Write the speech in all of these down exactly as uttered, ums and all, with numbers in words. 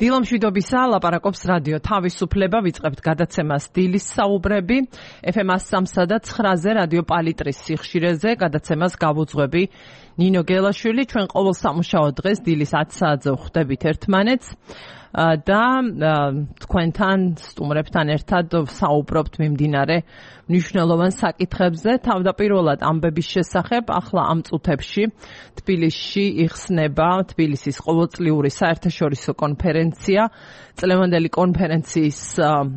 დილომშვიდობისა ლაპარაკობს რადიო თავისუფლება, ვიწყებთ გადაცემას დილის საუბრები, ეფ ემ სამსა და ცხრაზე რადიო პალიტრის სიხშირეზე, გადაცემას გავუძღვები ნინო გელაშვილი, ჩვენ ყოველ სამუშაო დღეს დილის ათი საათზე ვხვდებით ერთმანეთს და თქვენთან სტუმრებთან ერთად საუბრობთ მიმდინარე მნიშვნელოვან საკითხებზე, თავდაპირველად ამბების შესახებ, ახლა ამ წუთებში თბილისში იხსნება თბილისის ყოველწლიური საერთაშორისო კონფერენცია, წლევანდელი კონფერენციის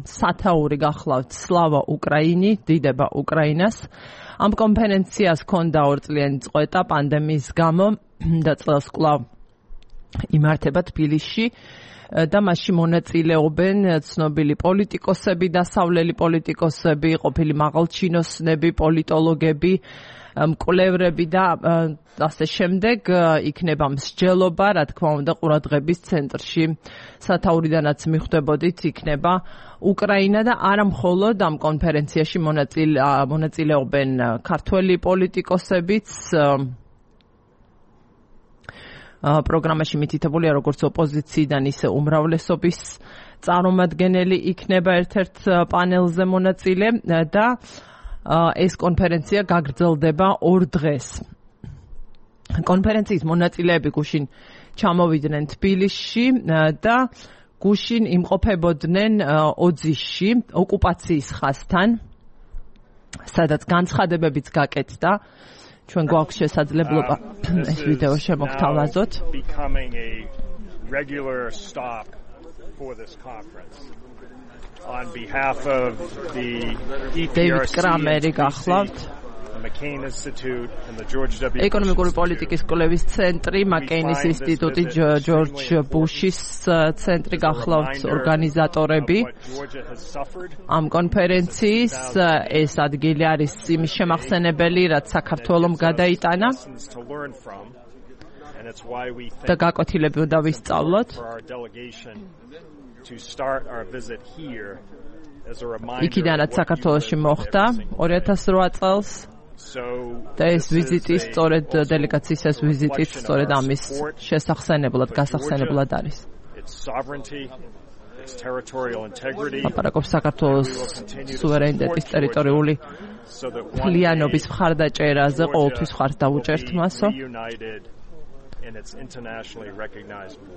სათაური გახლავთ სლავა უკრაინი, დიდება უკრაინას. ამ კონფერენციას ჰქონდა ორწლიანი წყვეტა პანდემიის გამო და წელს კვლავ იმართება თბილისში. და მასში მონაწილეობენ ცნობილი პოლიტიკოსები, დასავლელი პოლიტიკოსები, ყოფილი მაღალჩინოსნები, პოლიტოლოგები, მკვლევრები და ასე შემდეგ. იქნება მსჯელობა, რა თქმა უნდა, ყურადღების ცენტრში სათაურიდანაც მიხვდებოდით, იქნება უკრაინა და არა მხოლოდ ამ კონფერენციაში მონაწილეობენ ქართველი პოლიტიკოსებიც. პროგრამაში მითითებულია როგორც ოპოზიციიდან, ისე უმრავლესობის წარმომადგენელი იქნება ერთ-ერთ პანელზე მონაწილე და ეს კონფერენცია გაგრძელდება ორ დღეს. კონფერენციის მონაწილეები გუშინ ჩამოვიდნენ თბილისში და გუშინ იმყოფებოდნენ ოძისში, ოკუპაციის ხაზთან, სადაც განცხადებებიც გაკეთდა. ჩვენ გვაქვს შესაძლებლობა ეს ვიდეო შემოგთავაზოთ. დეივიდ კრამერი გახლავთ. ეკონომიკური პოლიტიკის კვლევის ცენტრი, მაკეინის ინსტიტუტი, ჯორჯ ბუშის ცენტრი გახლავთ ორგანიზატორები. ამ კონფერენციის ეს ადგილი არის იმის შემახსენებელი, რაც საქართველომ გადაიტანა და გაკვეთილები უნდა ვისწავლოთ. იქიდანაც საქართველოში მოხდა ორი ათას რვა წელს. და ეს ვიზიტი სწორედ დელეგაციის ეს ვიზიტი სწორედ ამის შესახსენებლად, გასახსენებლად არის. ლაპარაკობს საქართველოს სუვერენიტეტის ტერიტორიული მთლიანობის მხარდაჭერაზე, ყოველთვის მხარს დაუჭერთ მასო.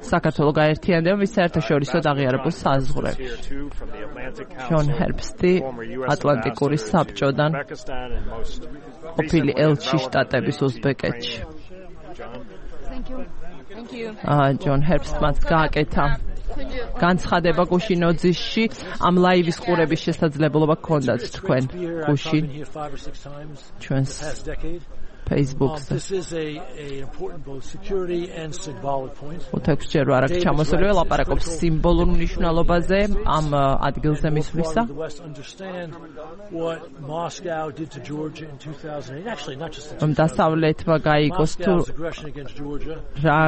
საქართველო გაერთიანდება მის საერთაშორისო აღიარებულ საზღვრებში. ჯონ ჰერბსტი ატლანტიკური საბჭოდან, ყოფილი ელჩი შტატების უზბეკეთში. ჯონ ჰერბსტმაც გააკეთა განცხადება გუშინ ოძისში. ამ ლაივის ყურების შესაძლებლობა გქონდათ თქვენ გუშინ ჩვენს Facebook-ზე. უთხექვსჯერ არ აქვს ჩამოსული, ლაპარაკობს სიმბოლურ მნიშვნელობაზე ამ ადგილზე მისვლისა. დასავლეთმა გაიგოს თუ რა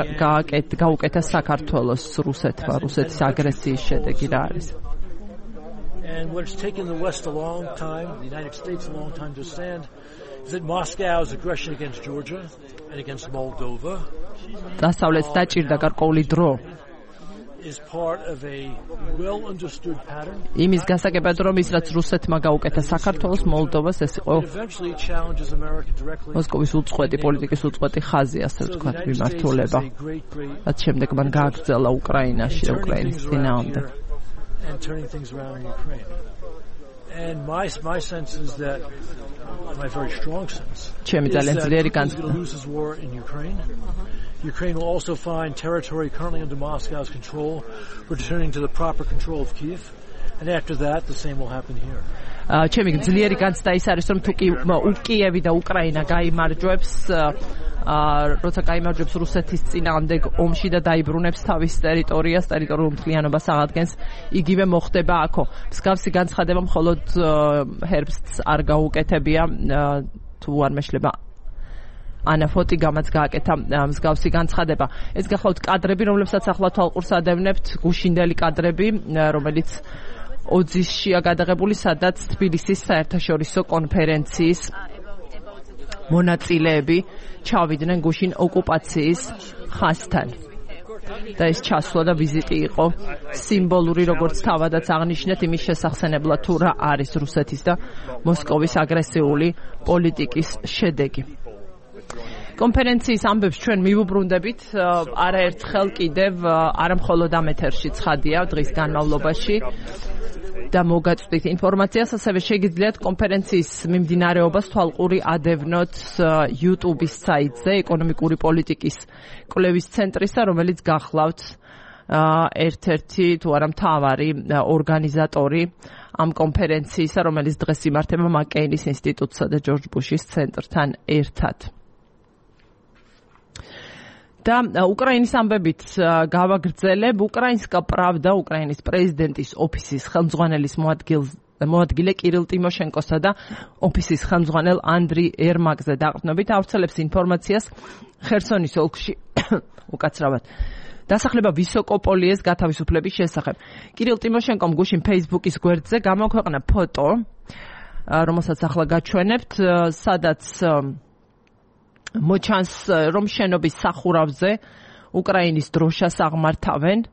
გაუკეთა საქართველოს რუსეთმა, რუსეთის აგრესიის შედეგი რა არის. And what's taken the West a long time, the United States a long time to understand, is that Moscow's aggression against Georgia and against Moldova დასავლეთს დაჭირდა გარკვეული დრო is part of a well understood pattern. იმის გასაგებად, რომ ის რაც რუსეთმა გაუკეთა საქართველოს, მოლდოვას, ეს იყო მოსკოვის უწყვეტი პოლიტიკის უწყვეტი ხაზი, ასე ვთქვათ, მიმართულება. რაც შემდეგ მან გააგრძელა უკრაინაში და უკრაინის წინააღმდეგ. And turning things around in Ukraine. And my my sense is that my very strong sense is that Putin loses war in Ukraine. Ukraine will also find territory currently under Moscow's control, returning to the proper control of Kyiv. And after that, the same will happen here. ჩემი ძლიერი განცდა ის არის, რომ თუ კიევი და უკრაინა გაიმარჯვებს, როცა გაიმარჯვებს რუსეთის წინააღმდეგ ომში და დაიბრუნებს თავის ტერიტორიას, ტერიტორიულ მთლიანობას აღადგენს, იგივე მოხდება აქო. მსგავსი განცხადება მხოლოდ ჰერბსტს არ გაუკეთებია, თუ არ მეშლება ანა ფოტიგამაც გააკეთა მსგავსი განცხადება. ეს გახლავთ კადრები, რომლებსაც ახლა თვალყურს ადევნებთ, გუშინდელი კადრები, რომელიც ოძისშია გადაღებული, სადაც თბილისის საერთაშორისო კონფერენციის მონაწილეები ჩავიდნენ გუშინ ოკუპაციის ხაზთან. და ეს ჩასვლა და ვიზიტი იყო სიმბოლური, როგორც თავადაც აღნიშნეთ, იმის შესახსენებლად თუ რა არის რუსეთის და მოსკოვის აგრესიული პოლიტიკის შედეგი. კონფერენციის ამბებს ჩვენ მივუბრუნდებით არაერთხელ კიდევ არა მხოლოდ ამ ეთერში ცხადია დღის განმავლობაში და მოგაწვდით ინფორმაციას, ასევე შეგიძლიათ კონფერენციის მიმდინარეობას თვალყური ადევნოთ YouTube-ის საიტზე ეკონომიკური პოლიტიკის კვლევის ცენტრისა, რომელიც გახლავთ ერთ-ერთი თუ არა მთავარი ორგანიზატორი ამ კონფერენციისა, რომელიც დღეს იმართება მაკეინის ინსტიტუტსა და ჯორჯ ბუშის ცენტრთან ერთად. და უკრაინის ამბებით გავაგრძელებ. უკრაინსკა პრავდა უკრაინის პრეზიდენტის ოფისის ხელმძღვანელის მოადგილე კირილ ტიმოშენკოსა და ოფისის ხელმძღვანელ ანდრი ერმაკზე დაყრდნობით ავრცელებს ინფორმაციას ხერსონის ოლქში უკაცრავად დასახლება ვისოკოპოლიეს გათავისუფლების შესახებ. კირილ ტიმოშენკომ გუშინ Facebook-ის გვერდზე გამოქვეყნა ფოტო, რომელსაც ახლა გაჩვენებთ, სადაც მოჩანს, რომ შენობის სახურავზე უკრაინის დროშას აღმართავენ.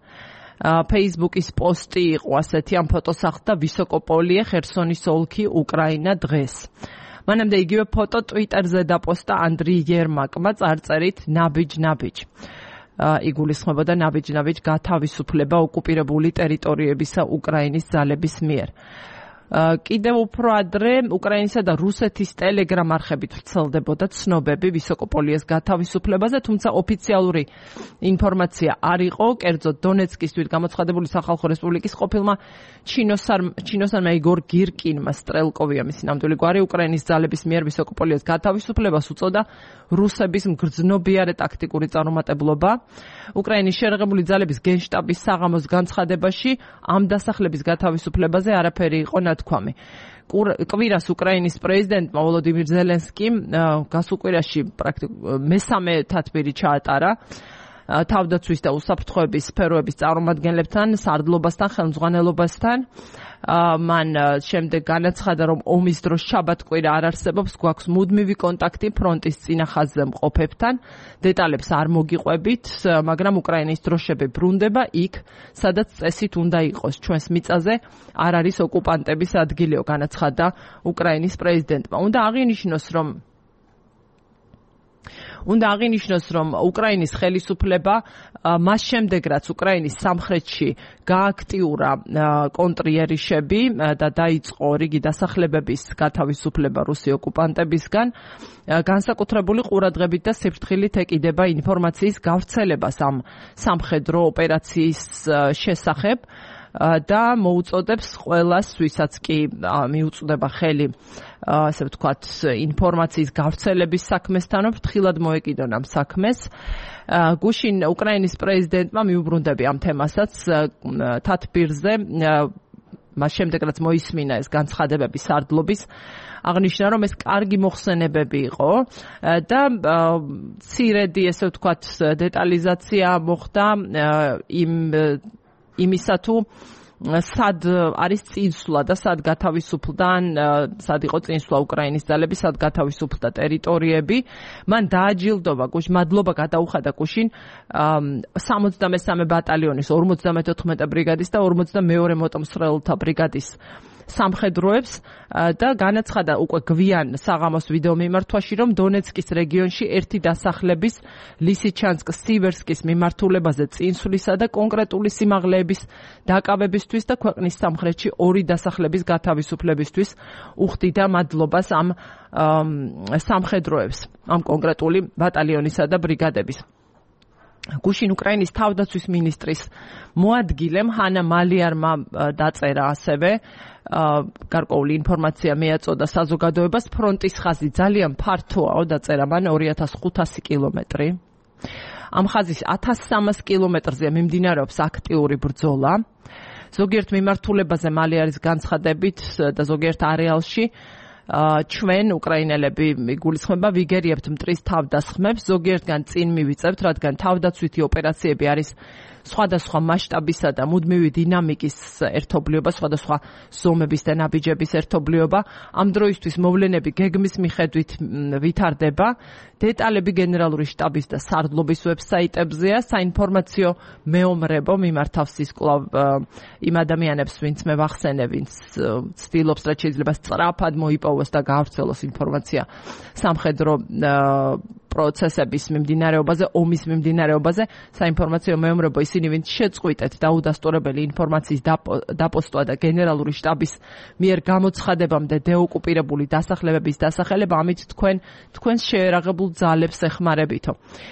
Facebook-ის პოსტი იყო ასეთი, ამ ფოტოს ახლდა ვისოკოპოლიე, ხერსონის ოლქი, უკრაინა დღეს. მანამდე იგივე ფოტო Twitter-ზე დაპოსტა ანდრი ერმაკმა წარწერით ნაბიჯ-ნაბიჯ. იგულისხმებოდა ნაბიჯ-ნაბიჯ გათავისუფლება ოკუპირებული ტერიტორიებისა უკრაინის ძალების მიერ. კიდევ უფრო ადრე უკრაინისა და რუსეთის ტელეგრამ არხებით ვრცელდებოდა ცნობები ვისოკოპოლიეს გათავისუფლებაზე, თუმცა ოფიციალური ინფორმაცია არ იყო. კერძოდ დონეცკის თვითგამოცხადებული სახალხო რესპუბლიკის ყოფილმა ჩინოსანმა იგორ გირკინმა სტრელკოვია მისი ნამდვილი გვარი უკრაინის ძალების მიერ ვისოკოპოლიეს გათავისუფლებას უწოდა რუსების მგრძნობიარე ტაქტიკური წარუმატებლობა. უკრაინის შერეღებული ძალების გენშტაბის საღამოს განცხადებაში ამ დასახლების გათავისუფლებაზე არაფერი იყო ნათქვამი. კვირას უკრაინის პრეზიდენტმა ვოლოდიმირ ზელენსკიმ გასულ კვირაში პრაქტიკულად მესამე თათბირი ჩაატარა თავდაცვის და უსაფრთხოების სფეროების წარმომადგენლებთან, სარდლობასთან, ხელმძღვანელობასთან. მან შემდეგ განაცხადა, რომ ომის დროს შაბათ-კვირა არ არსებობს, გვაქვს მუდმივი კონტაქტი ფრონტის წინა ხაზზე მყოფებთან. დეტალებს არ მოგიყვებით, მაგრამ უკრაინის დროშები ბრუნდება იქ, სადაც წესით უნდა იყოს. ჩვენს მიწაზე არ არის ოკუპანტების ადგილიო, განაცხადა უკრაინის პრეზიდენტმა. უნდა აღინიშნოს, რომ უნდა აღინიშნოს, რომ უკრაინის ხელისუფლება მას შემდეგ, რაც უკრაინის სამხრეთში გააქტიურა კონტრიერიშები და დაიწყო რიგი დასახლებების გათავისუფლება რუსი ოკუპანტებისგან, განსაკუთრებული ყურადღებით და სიფრთხილით ეკიდება ინფორმაციის გავრცელებას ამ სამხედრო ოპერაციის შესახებ და მოუწოდებს ყველას, ვისაც კი მიუწვდება ხელი, ასე ვთქვათ, ინფორმაციის გავრცელების საქმესთან, ფრთხილად მოეკიდონ ამ საქმეს. გუშინ უკრაინის პრეზიდენტმა მიუბრუნდები ამ თემასაც თათბირზე, მას შემდეგ რაც მოისმინა ეს განცხადებები სარდლობის, აღნიშნა, რომ ეს კარგი მოხსენებები იყო და მცირედი, ასე ვთქვათ, დეტალიზაცია მოხდა იმ იმისა თუ სად არის წინსვლა და სად გათავისუფლდან, სად იყო წინსვლა უკრაინის ძალების, სად გათავისუფლდა ტერიტორიები. მან დააჯილდობა გუშინ, მადლობა გადაუხადა გუშინ სამოცდამესამე ბატალიონის ორმოცდამეთოთხმეტე ბრიგადის და ორმოცდამეორე მოტომსხვრელთა ბრიგადის სამხედროებს და განაცხადა უკვე გვიან საღამოს ვიდეო მიმართვაში, რომ დონეცკის რეგიონში ერთი დასახლების ლისიჩანსკ-სივერსკის მიმართულებაზე წინსვლისა და კონკრეტული სიმაღლეების დაკავებისთვის და ქვეყნის სამხრეთში ორი დასახლების გათავისუფლებისთვის უხდიდა მადლობას ამ სამხედროებს, ამ კონკრეტული ბატალიონისა და ბრიგადების. გუშინ უკრაინის თავდაცვის მინისტრის მოადგილემ ჰანა მალიარმა დაწერა ასევე გარკვეული ინფორმაცია მიაწოდა საზოგადოებას, ფრონტის ხაზი ძალიან ფართოა, დაწერა მან ორი ათას ხუთასი კილომეტრი. ამ ხაზის ათას სამას კილომეტრზე მიმდინარეობს აქტიური ბრძოლა. ზოგიერთ მიმართულებაზე მალიარის განცხადებით და ზოგიერთ არეალში ჩვენ უკრაინელები გულისხმობა ვიგერიებთ მტრის თავდასხმებს, ზოგიერთგან წინ მივიწევთ, რადგან თავდაცვითი ოპერაციები არის სხვადასხვა მასშტაბისა და მუდმივი დინამიკის ერთობლიობა, სხვადასხვა ზომების და ნაბიჯების ერთობლიობა. ამ დროისთვის მოვლენები გეგმის მიხედვით ვითარდება. დეტალები გენერალური შტაბის და სარდლობის ვებსაიტებზეა. საინფორმაციო მეომრებო მიმართავს ის კვლავ იმ ადამიანებს, ვინც მე ვახსენე, ვინც ცდილობს, რაც შეიძლება სწრაფად მოიპოვოს და გაავრცელოს ინფორმაცია სამხედრო პროცესების მიმდინარეობაზე, ომის მიმდინარეობაზე. საინფორმაციო მეომრებო ისინი, ვინც შეწყვიტეთ დაუდასტურებელი ინფორმაციის დაპოსტვა და გენერალური შტაბის მიერ გამოცხადებამდე დეოკუპირებული დასახლებების დასახელება, ამით თქვენ თქვენს შეერაღებულ ძალებს ეხმარებითო.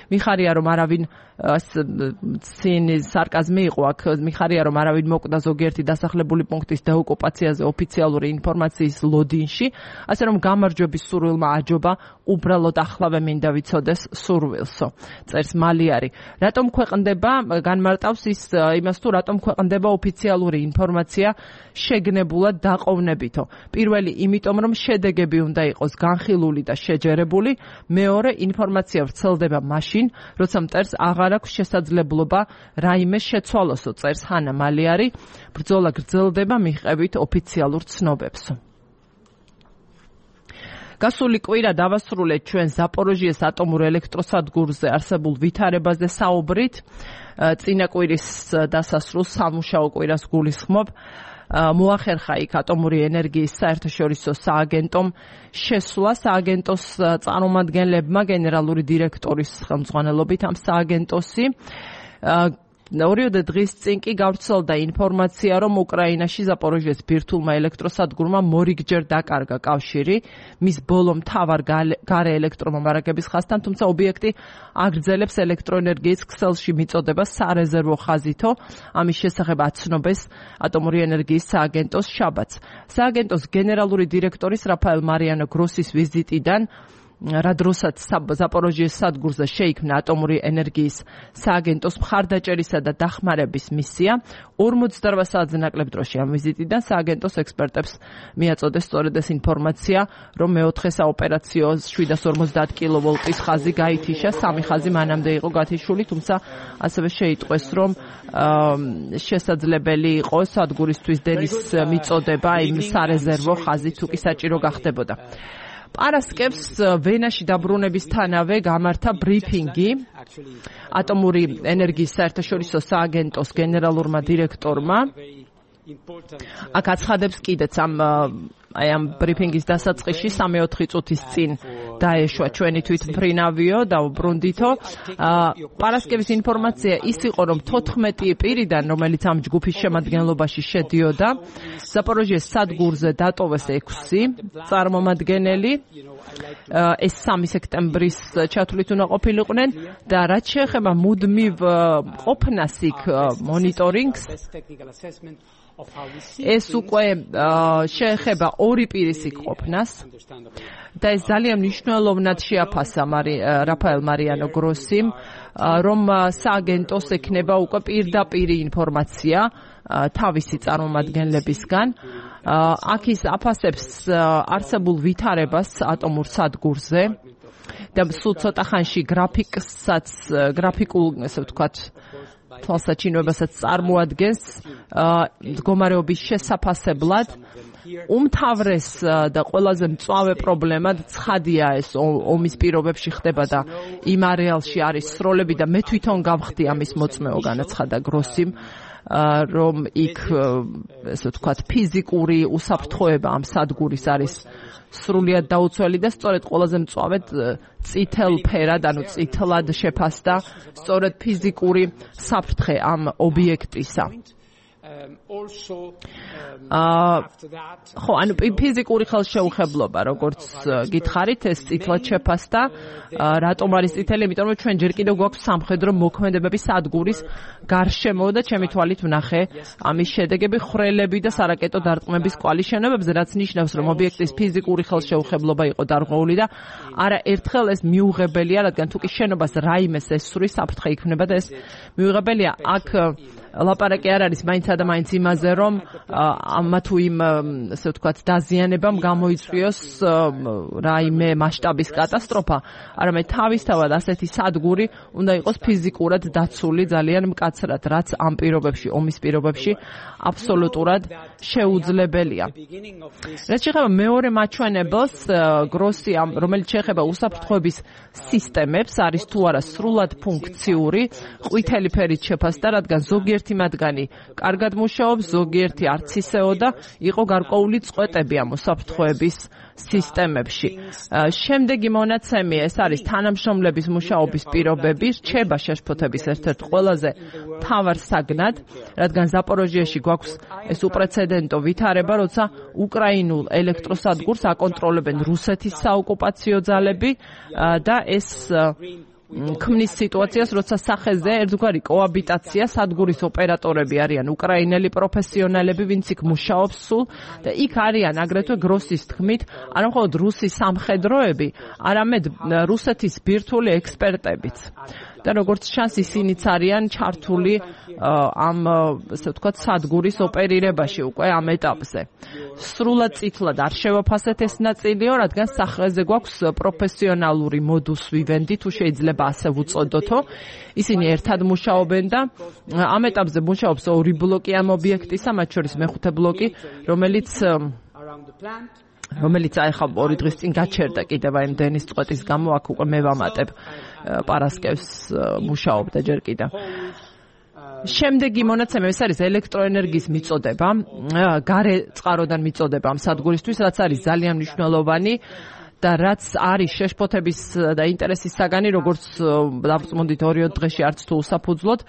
მიხარია რომ არავინ სინის სარკაზმი იყო აქ, მიხარია რომ არავინ მოკვდა ზოგიერთი დასახლებული პუნქტის დეოკუპაციაზე ოფიციალური ინფორმაციის ლოდინში, ასე რომ გამარჯვების სურვილმა აჯობა უბრალოდ ახლავე მინდა ვიცოდეს სურვილსო. წერს მალიარი. რატომ ქვეყნდება, განმარტავს ის იმას თუ რატომ ქვეყნდება ოფიციალური ინფორმაცია შეგნებულად დაყოვნებითო. პირველი, იმიტომ რომ შედეგები უნდა იყოს განხილული და შეჯერებული, მეორე, ინფორმაცია ვრცელდება მაშინ, როცა მტერს აღარ აქვს შესაძლებლობა რაიმე შეცვალოსო, წერს ჰანა მალიარი. ბრძოლა გრძელდება მიღებით ოფიციალურ ცნობებსო. გასული კვირა დავასრულეთ ჩვენ ზაპოროჟიეს ატომურ ელექტროსადგურზე არსებულ ვითარებაზე საუბრით. წინა კვირის დასასრულს სამუშაო კვირას გულისხმობ. მოახერხა იქ ატომური ენერგიის საერთაშორისო სააგენტომ შესვლა სააგენტოს წარმომადგენლებმა გენერალური დირექტორის ხელმძღვანელობით ამ სააგენტოსი. ორიოდე დღის წინ კი გავრცელდა ინფორმაცია, რომ უკრაინაში ზაპოროჟიეს ბირთვულმა ელექტროსადგურმა მორიგჯერ დაკარგა კავშირი მის ბოლო მთავარ გარე ელექტრომომარაგების ხაზთან, თუმცა ობიექტი აგრძელებს ელექტროენერგიის ქსელში მიწოდებას სარეზერვო ხაზითო. ამის შესახებ აცნობეს ატომური ენერგიის სააგენტოს შაბათს. სააგენტოს გენერალური დირექტორის რაფაელ მარიანო გროსის ვიზიტიდან რა დროსაც ზაპოროჟიეს სადგურზე შეიქმნა ატომური ენერგიის სააგენტოს მხარდაჭერისა და დახმარების მისია, ორმოცდაოთხ საათზე ნაკლებ დროში ამ ვიზიტიდან სააგენტოს ექსპერტებს მიაწოდეს სწორედ ეს ინფორმაცია, რომ მეოთხე საოპერაციო შვიდას ორმოცდაათ კილოვოლტის ხაზი გაითიშა, სამი ხაზი მანამდე იყო გათიშული, თუმცა ასევე შეიტყვეს, რომ შესაძლებელი იყო სადგურისთვის დენის მიწოდება იმ სარეზერვო ხაზით თუ კი საჭირო გახდებოდა. პარასკევს ვენაში დაბრუნებისთანავე გამართა ბრიფინგი ატომური ენერგიის საერთაშორისო სააგენტოს გენერალურმა დირექტორმა. აქ აცხადებს კიდეც ამ აი ამ ბრიფინგის დასაწყისში სამი-ოთხი წუთის წინ დაეშვა ჩვენი თვითმფრინავიო და უბრუნდითო. პარასკევის ინფორმაცია ის იყო, რომ თოთხმეტი პირიდან, რომელიც ამ ჯგუფის შემადგენლობაში შედიოდა, ზაპოროჟიეს სადგურზე დატოვეს ექვსი წარმომადგენელი. ეს სამი სექტემბრის ჩათვლით უნდა ყოფილიყვნენ და რაც შეეხება მუდმივ ყოფნას იქ მონიტორინგს, ეს უკვე შეეხება ორი პირის იქ ყოფნას და ეს ძალიან მნიშვნელოვნად შეაფასა რაფაელ მარიანო გროსიმ, რომ სააგენტოს ექნება უკვე პირდაპირი ინფორმაცია თავისი წარმომადგენლებისგან. აქ ის აფასებს არსებულ ვითარებას ატომურ სადგურზე და სულ ცოტა ხანში გრაფიკსაც გრაფიკულ, ესე ვთქვათ, თვალსაჩინოებასაც წარმოადგენს მდგომარეობის შესაფასებლად. უმთავრეს და ყველაზე მწვავე პრობლემად ცხადია ეს ომის პირობებში ხდება და იმ არეალში არის სროლები და მე თვითონ გავხდი ამის მოწმეო, განაცხადა გროსიმ, რომ იქ ესე ვთქვათ ფიზიკური უსაფრთხოება ამ სადგურის არის სრულიად დაუცველი და სწორედ ყველაზე მწვავედ წითელ ფერად, ანუ წითლად შეფასდა სწორედ ფიზიკური საფრთხე ამ ობიექტისა. ხო, ანუ ფიზიკური ხელშეუხებლობა, როგორც გითხარით, ეს წითლად შეფასდა. რატომ არის წითელი? იმიტომ რომ ჩვენ ჯერ კიდევ გვაქვს სამხედრო მოქმედებები სადგურის გარშემო და ჩემი თვალით ვნახე ამის შედეგები ხრელები და სარაკეტო დარტყმების კვალი შენობებზე, რაც ნიშნავს, რომ ობიექტის ფიზიკური ხელშეუხებლობა იყო დარღვეული და არა ერთხელ ეს მიუღებელია, რადგან თუ კი შენობას რაიმე ესვრის საფრთხე იქმნება და ეს მიუღებელია. აქ ლაპარაკი არ არის მაინც და მაინც იმაზე, რომ ამა თუ იმ ასე ვთქვათ დაზიანებამ გამოიწვიოს რაიმე მასშტაბის კატასტროფა, არამედ თავისთავად ასეთი სადგური უნდა იყოს ფიზიკურად დაცული ძალიან მკაცრად, რაც ამ პირობებში, ომის პირობებში აბსოლუტურად შეუძლებელია. რაც შეეხება მეორე მაჩვენებელს, გროსი, რომელიც შეეხება უსაფრთხოების სისტემებს, არის თუ არა სრულად ფუნქციური, ყვითელი ფერით შეფასდა, რადგან ზოგიერთი მათგანი კარგად მუშაობს, ზოგიერთი არც ისეო და იყო გარკვეული წყვეტები ამ უსაფრთხოების სისტემებში. შემდეგი მონაცემი ეს არის თანამშრომლების მუშაობის პირობები, რჩება შეშფოთების ერთ-ერთ ყველაზე მთავარ საგნად, რადგან ზაპოროჟიაში გვაქვს ეს უპრეცედენტო ვითარება, როცა უკრაინულ ელექტროსადგურს აკონტროლებენ რუსეთის საოკუპაციო ძალები და ეს ქმნის სიტუაციას, როცა სახეზე ერთგვარი კოაბიტაცია, სადგურის ოპერატორები არიან უკრაინელი პროფესიონალები, ვინც იქ მუშაობს სულ და იქ არიან აგრეთვე გროსის თქმით, არა მხოლოდ რუსი სამხედროები, არამედ რუსეთის ბირთვული ექსპერტებიც. და როგორც ჩანს, ისინიც არიან ჩართული ამ ასე ვთქვათ სადგურის ოპერირებაში უკვე ამ ეტაპზე. სრულად წითლად არ შევაფასეთ ეს ნაწილიო, რადგან სახეზე გვაქვს პროფესიონალური modus vivendi, თუ შეიძლება ასე ვუწოდოთო. ისინი ერთად მუშაობენ და ამ ეტაპზე მუშაობს ორი ბლოკი ამ ობიექტისა, მათ შორის მეხუთე ბლოკი, რომელიც რომელიც აი ხა ორი დღის წინ გაჩერდა კიდევ აი დენის წყვეტის გამო, აქ უკვე მე ვამატებ პარასკევს მუშაობდა ჯერ კიდევ. შემდეგი მონაცემი ეს არის ელექტროენერგიის მიწოდება, გარე წყაროდან მიწოდება ამ სადგურისთვის, რაც არის ძალიან მნიშვნელოვანი და რაც არის შეშფოთების და ინტერესის საგანი, როგორც დავწმუნდით ორი დღეში არც თუ უსაფუძვლოდ.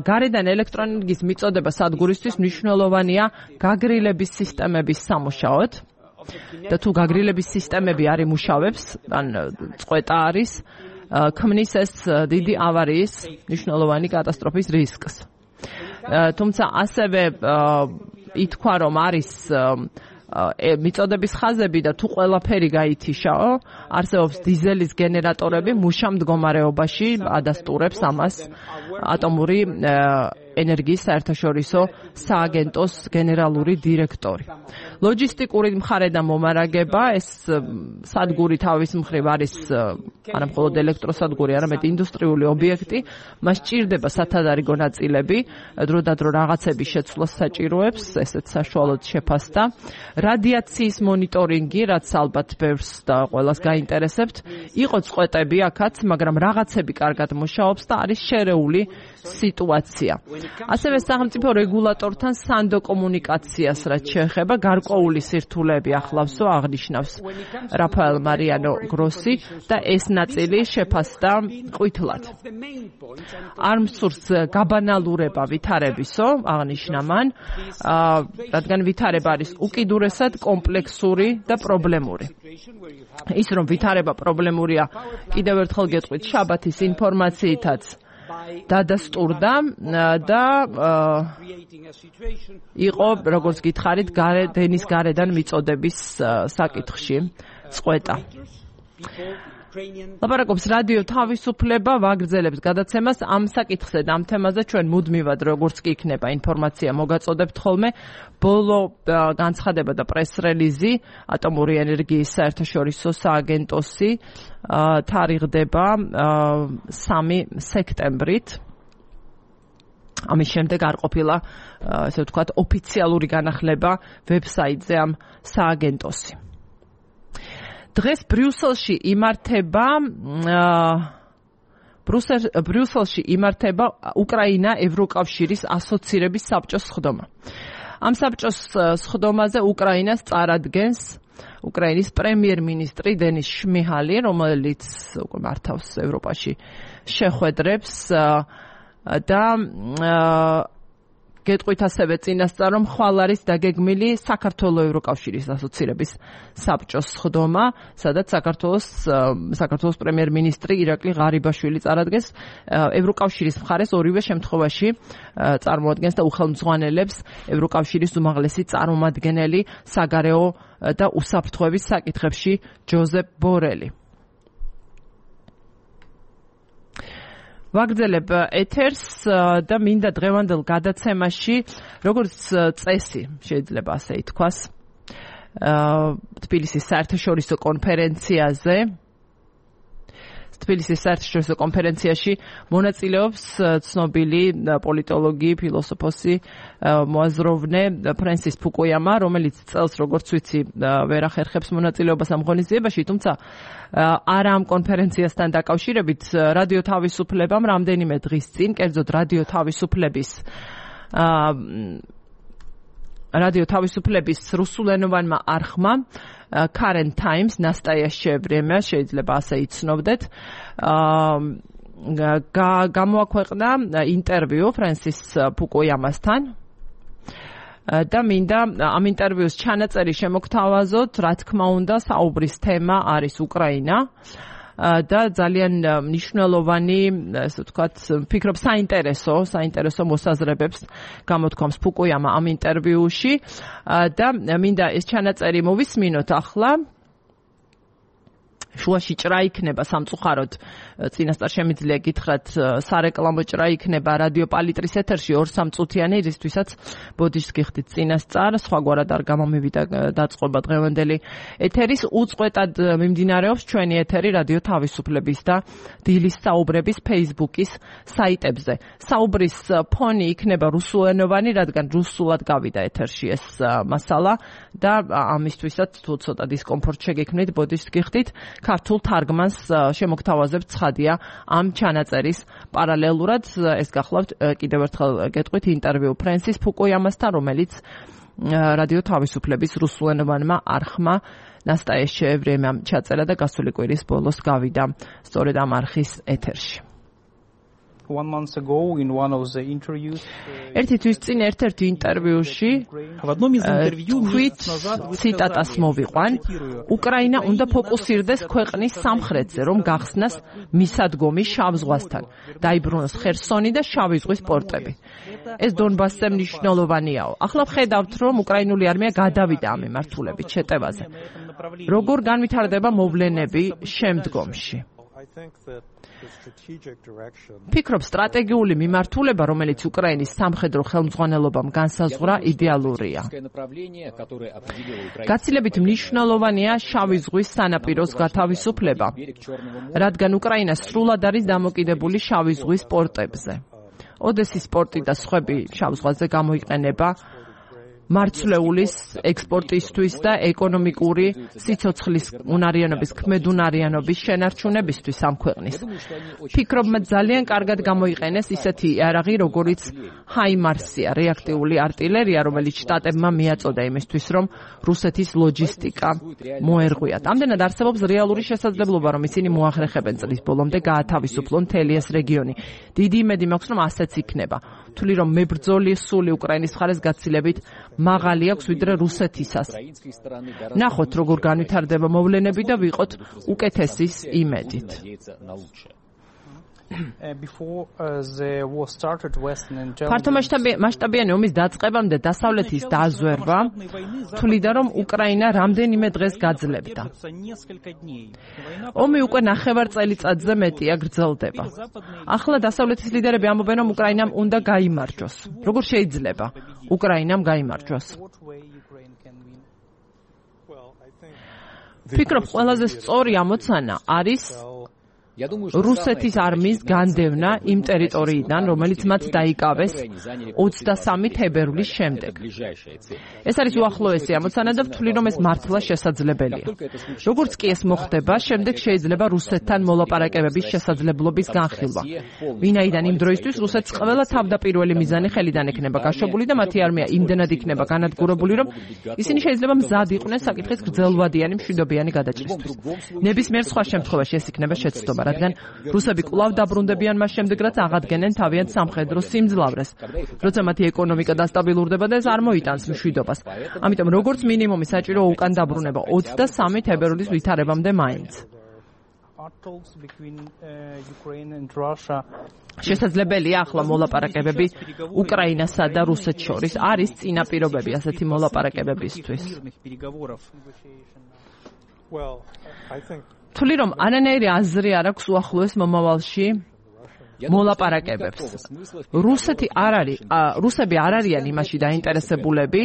გარედან ელექტროენერგიის მიწოდება სადგურისთვის მნიშვნელოვანია გაგრილების სისტემების სამუშაოდ. და თუ გაგრილების სისტემები არ იმუშავებს, ან წყვეტა არის, ქმნის ეს დიდი ავარიის მნიშვნელოვანი კატასტროფის რისკს. თუმცა ასევე ითქვა, რომ არის მიწოდების ხაზები და თუ ყველაფერი გაითიშაო, არსებობს დიზელის გენერატორები მუშა მდგომარეობაში, ადასტურებს ამას ატომური ენერგიის საერთაშორისო სააგენტოს გენერალური დირექტორი. ლოჯისტიკური მხრიდან მომარაგება, ეს სადგური თავის მხრივ არის არა მხოლოდ ელექტროსადგური, არამედ ინდუსტრიული ობიექტი, მას ჭირდება სათადარიგო ნაწილები, დროდადრო რაღაცების შეცვლას საჭიროებს, ესეც საშუალოდ შეფასდა. რადიაციის მონიტორინგი, რაც ალბათ ბევრს და ყველას გაინტერესებთ, იყო წყვეტები აქაც, მაგრამ რაღაცები კარგად მუშაობს და არის შერეული სიტუაცია. ასევე სახელმწიფო რეგულატორთან სანდო კომუნიკაციას რაც შეეხება გარკვეული სირთულეები ახლავსო აღნიშნავს რაფაელ მარიანო გროსი და ეს ნაწილი შეფასდა ყვითლად. არ მსურს გაბანალურება ვითარებისო, აღნიშნა მან, რადგან ვითარება არის უკიდურესად კომპლექსური და პრობლემური. ის რომ ვითარება პრობლემურია, კიდევ ერთხელ გეტყვით შაბათის ინფორმაციითაც დადასტურდა და იყო, როგორც გითხარით, დენის გარედან მიწოდების საკითხში წყვეტა. ლაპარაკობს რადიო თავისუფლება, ვაგრძელებს გადაცემას ამ საკითხზე და ამ თემაზე ჩვენ მუდმივად, როგორც კი იქნება ინფორმაცია მოგაწოდებთ ხოლმე, ბოლო განცხადება და პრეს-რელიზი ატომური ენერგიის საერთაშორისო სააგენტოსი თარიღდება სამი სექტემბრით. ამის შემდეგ არ ყოფილა, ესე ვთქვათ, ოფიციალური განახლება ვებსაიტზე ამ სააგენტოსი. დღეს ბრიუსელში იმართება ბრიუსელში იმართება უკრაინა ევროკავშირის ასოცირების საბჭოს სხდომა. ამ საბჭოს სხდომაზე უკრაინას წარადგენს უკრაინის პრემიერ-მინისტრი დენის შმიჰალი, რომელიც უკვე მართავს ევროპაში შეხვედრებს და გეტყვით ასევე წინასწარ, რომ ხვალ არის დაგეგმილი საქართველოს ევროკავშირის ასოცირების საბჭოს სხდომა, სადაც საქართველოს საქართველოს პრემიერ-მინისტრი ირაკლი ღარიბაშვილი წარადგენს, ევროკავშირის მხარეს ორივე შემთხვევაში წარმოადგენს და უხელმძღვანელებს ევროკავშირის უმაღლესი წარმომადგენელი საგარეო და უსაფრთხოების საკითხებში ჯოზეფ ბორელი. ვაგრძელებ ეთერს და მინდა დღევანდელ გადაცემაში, როგორც წესი, შეიძლება ასე ითქვას, თბილისის საერთაშორისო კონფერენციაზე თბილისის საერთაშორისო კონფერენციაში მონაწილეობს ცნობილი პოლიტოლოგი, ფილოსოფოსი, მოაზროვნე ფრენსის ფუკუიამა, რომელიც წელს, როგორც ვიცი, ვერ ახერხებს მონაწილეობას ამ ღონისძიებაში, თუმცა არა ამ კონფერენციასთან დაკავშირებით რადიო თავისუფლებამ რამდენიმე დღის წინ, კერძოდ რადიო თავისუფლების რადიო თავისუფლების რუსულენოვანმა არხმა Current Times, Nastayaще время, შეიძლება ასე იცნობდეთ, გამოაქვეყნა ინტერვიუ ფრენსის ფუკუიამასთან და მინდა ამ ინტერვიუს ჩანაწერი შემოგთავაზოთ, რა თქმა უნდა, საუბრის თემა არის უკრაინა და ძალიან მნიშვნელოვანი, ასე ვთქვათ, ფიქრობ საინტერესო, საინტერესო მოსაზრებებს გამოთქვამს ფუკუიამა ამ ინტერვიუში და მინდა ეს ჩანაწერი მოვისმინოთ ახლა. შუაში ჭრა იქნება სამწუხაროდ, წინასწარ შემიძლია გითხრათ, სარეკლამო ჭრა იქნება რადიო პალიტრის ეთერში ორ სამ წუთიანი, რისთვისაც ბოდიშს გიხდით წინასწარ, სხვაგვარად არ გამომივიდა დაწყობა დღევანდელი ეთერის. უწყვეტად მიმდინარეობს ჩვენი ეთერი რადიო თავისუფლების და დილის საუბრების Facebook-ის საიტებზე. საუბრის ფონი იქნება რუსულენოვანი, რადგან რუსულად გავიდა ეთერში ეს მასალა და ამისთვისაც თუ ცოტა დისკომფორტ შეგექმნით, ბოდიშს გიხდით. ქართულ თარგმანს შემოგთავაზებთ ცხადია ამ ჩანაწერის პარალელურად. ეს გახლავთ კიდევ ერთხელ გეტყვით ინტერვიუ ფრენსის ფუკუიამასთან, რომელიც რადიო თავისუფლების რუსულენოვანმა არხმა Nastayaще время ჩაწერა და გასული კვირის ბოლოს გავიდა სწორედ ამ არხის ეთერში. One month ago in one of the interviews ერთი თვის წინ ერთ-ერთი ინტერვიუში თქვით ციტატას მოვიყვან, უკრაინა უნდა ფოკუსირდეს ქვეყნის სამხრეთზე, რომ გახსნას მისადგომი შავ ზღვასთან, დაიბრუნოს ხერსონი და შავი ზღვის პორტები. ეს დონბასზე მნიშვნელოვანიაო. ახლა ვხედავთ, რომ უკრაინული არმია გადავიდა ამ მიმართულებით შეტევაზე. როგორ განვითარდება მოვლენები შემდგომში? ფიქრობ, სტრატეგიული მიმართულება, რომელიც უკრაინის სამხედრო ხელმძღვანელობამ განსაზღვრა, იდეალურია. გაცილებით მნიშვნელოვანია შავი ზღვის სანაპიროს გათავისუფლება, რადგან უკრაინა სრულად არის დამოკიდებული შავი ზღვის პორტებზე. ოდესის პორტი და სხვები შავ ზღვაზე გამოიყენება მარცვლეულის ექსპორტისთვის და ეკონომიკური სიცოცხლის უნარიანობის, ქმედუნარიანობის შენარჩუნებისთვის ამ ქვეყნის. ფიქრობ, მათ ძალიან კარგად გამოიყენეს ისეთი იარაღი, როგორიც ჰაიმარსია, რეაქტიული артиლერია, რომელიც შტატებმა მიაწოდა იმისთვის, რომ რუსეთის ლოჯისტიკა მოერღვიათ. ამდენად არსებობს რეალური შესაძლებლობა, რომ ისინი მოახერხებენ წლის ბოლომდე გაათავისუფლონ მთელი ეს რეგიონი. დიდი იმედი მაქვს, რომ ასეც იქნება. თვლი რომ მებრძოლი სული უკრაინის მხარეს გაცილებით მაღალი აქვს ვიდრე რუსეთისას. ნახოთ როგორ განვითარდება მოვლენები და ვიყოთ უკეთესის იმედით. ფართომასშტაბიანი ომის დაწყებამდე დასავლეთის დაზვერვა თვლიდა, რომ უკრაინა რამდენიმე დღეს გაძლებდა. ომი უკვე ნახევარ წელიწადზე მეტია გრძელდება. ახლა დასავლეთის ლიდერები ამბობენ, რომ უკრაინამ უნდა გაიმარჯვოს. როგორ შეიძლება უკრაინამ გაიმარჯვოს? ფიქრობ, ყველაზე სწორი ამოცანა არის რუსეთის არმიის განდევნა იმ ტერიტორიიდან, რომელიც მათ დაიკავეს ოცდასამი თებერვლის შემდეგ. ეს არის უახლოესი ამოცანა და ვთვლი, რომ ეს მართლა შესაძლებელია. როგორც კი ეს მოხდება, შემდეგ შეიძლება რუსეთთან მოლაპარაკებების შესაძლებლობის განხილვა. ვინაიდან იმ დროისთვის რუსეთს ყველა თავდაპირველი მიზანი ხელიდან ექნება გაშვებული და მათი არმია იმდენად იქნება განადგურებული, რომ ისინი შეიძლება მზად იყვნენ საკითხის გრძელვადიანი მშვიდობიანი გადაჭრისთვის. ნებისმიერ სხვა შემთხვევაში ეს იქნება შეცდომა, რადგან რუსები კვლავ დაბრუნდებიან მას შემდეგ, რაც აღადგენენ თავიანთ სამხედრო სიმძლავრეს, როცა მათი ეკონომიკა დასტაბილურდება და ეს არ მოიტანს მშვიდობას. ამიტომ როგორც მინიმუმი საჭირო უკან დაბრუნება ოცდასამი თებერვლის ვითარებამდე მაინც. შესაძლებელია ახლა მოლაპარაკებები უკრაინასა და რუსეთს შორის. არის წინაპირობები ასეთი მოლაპარაკებებისთვის. თვლი, რომ არანაირი აზრი არ აქვს უახლოეს მომავალში მოლაპარაკებებს. რუსეთი არ არის, რუსები არ არიან იმაში დაინტერესებულები,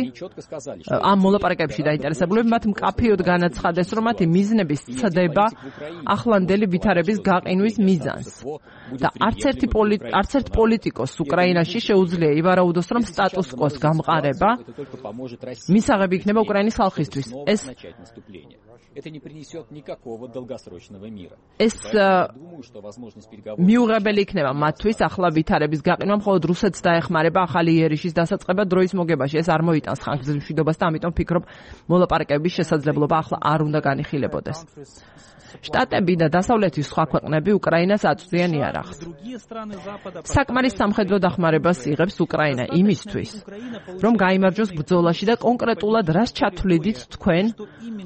ამ მოლაპარაკებებში დაინტერესებულები, მათ მკაფიოდ განაცხადეს, რომ მათი მიზნების ცდება ახლანდელი ვითარების გაყინვის მიზანს. და არც ერთი არც ერთ პოლიტიკოს უკრაინაში შეუძლია ივარაუდოს, რომ სტატუს კვოს გამყარება მისაღები იქნება უკრაინის ხალხისთვის. ეს Это не принесет никакого долгосрочного мира. ეს მიუღებელი იქნება მათთვის ახლა ვითარების გაყინვა, მხოლოდ რუსეთს დაეხმარება ახალი იერიშის დასაწყება დროის მოგებაში. ეს არ მოიტანს ხანგრძლივ მშვიდობას და ამიტომ ფიქრობ, მოლაპარაკებების შესაძლებლობა ახლა არ უნდა განიხილებოდეს. შტატები და დასავლეთის სხვა ქვეყნები უკრაინას აწვდიან იარაღს. საკმარის სამხედრო დახმარებას იღებს უკრაინა იმისთვის, რომ გაიმარჯვოს ბრძოლაში და კონკრეტულად რას ჩათვლიდით თქვენ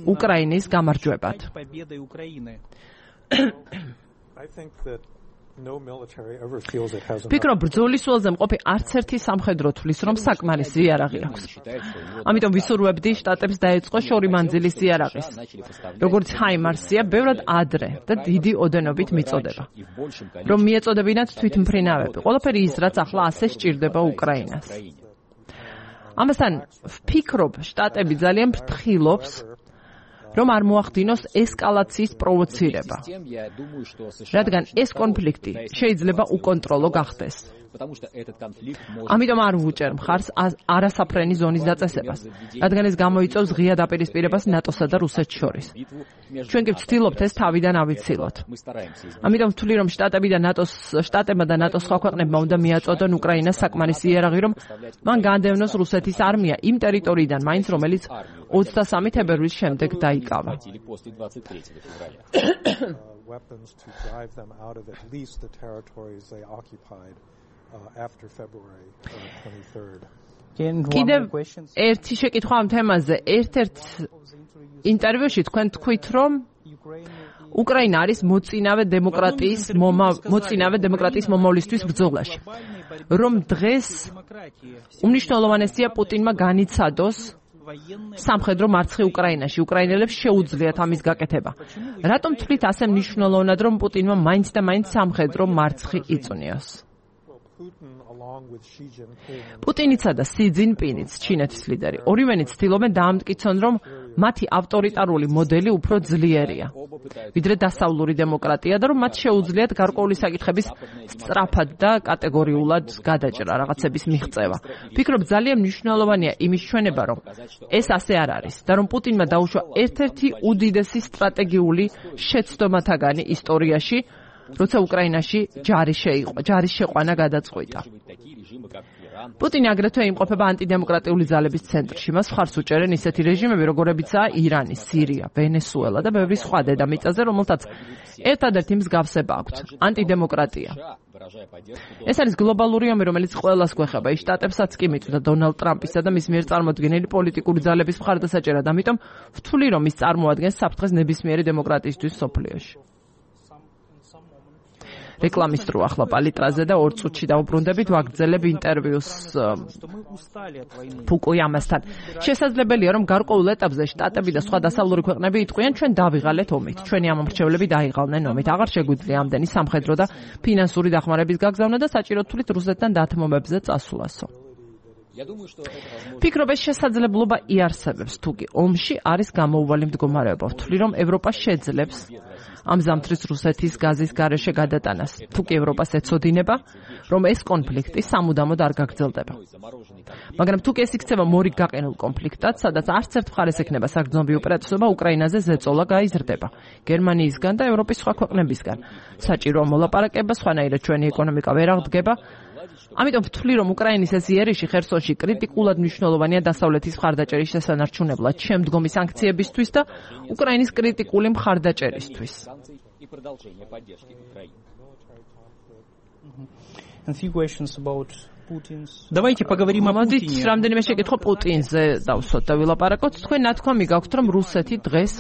უკრაინის გამარჯვებად. ფიქრობ, ბრძოლის ველზე მყოფი არც ერთი სამხედრო თვლის, რომ საკმარისი იარაღი აქვს. ამიტომ ვისურვებდი შტატებს დაეწყო შორიმანძილის იარაღის, როგორც ჰაიმარსია, ბევრად ადრე და დიდი ოდენობით მიწოდება, რომ მიეწოდებინათ თვითმფრინავები. ყველაფერი ის, რაც ახლა ასე სჭირდება უკრაინას. ამასთან ვფიქრობ, შტატები ძალიან ფრთხილობს, რომ არ მოახდინოს ესკალაციის პროვოცირება, რადგან ეს კონფლიქტი შეიძლება უკონტროლო გახდეს. ამიტომ არ ვუჭერ მხარს არასაფრენი ზონის დაწესებას, რადგან ეს გამოიწვევს ღია დაპირისპირებას ნატოსა და რუსეთს შორის. ჩვენ კი ვცდილობთ ეს თავიდან ავიცილოთ. ამიტომ ვთვლი, რომ შტატები და ნატოს შტატებმა და ნატოს სხვა ქვეყნებმა უნდა მიაწოდონ უკრაინას საკმარისი იარაღი, რომ მან განდევნოს რუსეთის არმია იმ ტერიტორიიდან, მაინც რომელიც ოცდასამი თებერვლის შემდეგ დაიკავა. კიდევ ერთი შეკითხვა ამ თემაზე. ერთ-ერთ ინტერვიუში თქვენ თქვით, რომ უკრაინა არის მოწინავე დემოკრატიის მოწინავე დემოკრატიის მომავლისთვის ბრძოლაში. რომ დღეს უმნიშვნელოვანესია პუტინმა განიცადოს სამხედრო მარცხი უკრაინაში. უკრაინელებს შეუძლიათ ამის გაკეთება. რატომ თვლით ასე მნიშვნელოვნად, რომ პუტინმა მაინც და მაინც სამხედრო მარცხი იწვნიოს? პუტინიცა და სი ძინპინიც, ჩინეთის ლიდერი, ორივენი ცდილობენ დაამტკიცონ, რომ მათი ავტორიტარული მოდელი უფრო ძლიერია, ვიდრე დასავლური დემოკრატია და რომ მათ შეუძლიათ გარკვეული საკითხების სწრაფად და კატეგორიულად გადაჭრა, რაღაცების მიღწევა. ფიქრობ, ძალიან მნიშვნელოვანია იმის ჩვენება, რომ ეს ასე არ არის და რომ პუტინმა დაუშვა ერთ-ერთი უდიდესი სტრატეგიული შეცდომათაგანი ისტორიაში, როცა უკრაინაში ჯარი შეიყო, ჯარის შეყვანა გადაწყვიტა. პუტინი აგრეთვე იმყოფება ანტიდემოკრატიული ძალების ცენტრში. მას მხარს უჭერენ ისეთი რეჟიმები, როგორებიცაა ირანი, სირია, ვენესუელა და ბევრი სხვა დედამიწაზე, რომელთაც ერთადერთი მსგავსება აქვთ ანტიდემოკრატია. ეს არის გლობალური ომი, რომელიც ყველას გვეხება. ის შტატებსაც კი მიწვდა დონალდ ტრამპისა და მის მიერ წარმოდგენილი პოლიტიკური ძალების მხარდასაჭერად. ამიტომ ვთვლი, რომ ის წარმოადგენს საფრთხეს ნებისმიერი დემოკრატიისთვის სოფლიოში. რეკლამის დრო ახლა პალიტრაზე და ორ წუთში დავუბრუნდებით, ვაგრძელებ ინტერვიუს ფუკუიამასთან. შესაძლებელია, რომ გარკვეულ ეტაპზე შტატები და სხვა დასავლური ქვეყნები იტყვიან, ჩვენ დავიღალეთ ომით, ჩვენი ამომრჩევლები დაიღალნენ ომით. აღარ შეგვიძლია ამდენი სამხედრო და ფინანსური დახმარების გაგზავნა და საჭიროდ თვლით რუსეთთან დათმობებზე წასვლასო. ფიქრობ, ეს შესაძლებლობა იარსებებს, თუკი ომში არის გამოუვალი მდგომარეობა. ვთვლი, რომ ევროპა შეძლებს ამ ზამთრის რუსეთის გაზის გარეშე გადატანას. თუკი ევროპას ეცოდინება, რომ ეს კონფლიქტი სამუდამოდ არ გაგრძელდება. მაგრამ თუკი ეს იქცევა მორიგ გაყინულ კონფლიქტად, სადაც არც ერთ მხარეს ექნება საგრძნობი უპირატესობა, უკრაინაზე ზეწოლა გაიზრდება გერმანიისგან და ევროპის სხვა ქვეყნებისგან. საჭიროა მოლაპარაკება, სხვანაირად ჩვენი ეკონომიკა ვერ აღდგება. ამიტომ ვთვლი, რომ უკრაინის ეს იერიში ხერსონში კრიტიკულად მნიშვნელოვანია დასავლეთის მხარდაჭერის შესანარჩუნებლად, შემდგომი სანქციებისთვის და უკრაინის კრიტიკული მხარდაჭერისთვის. Давайте поговорим о Путине. Путине. რამდენიმე შეკითხვა პუტინზე დავსვათ და ვილაპარაკოთ. თქვენ ნათქვამი გაქვთ, რომ რუსეთი დღეს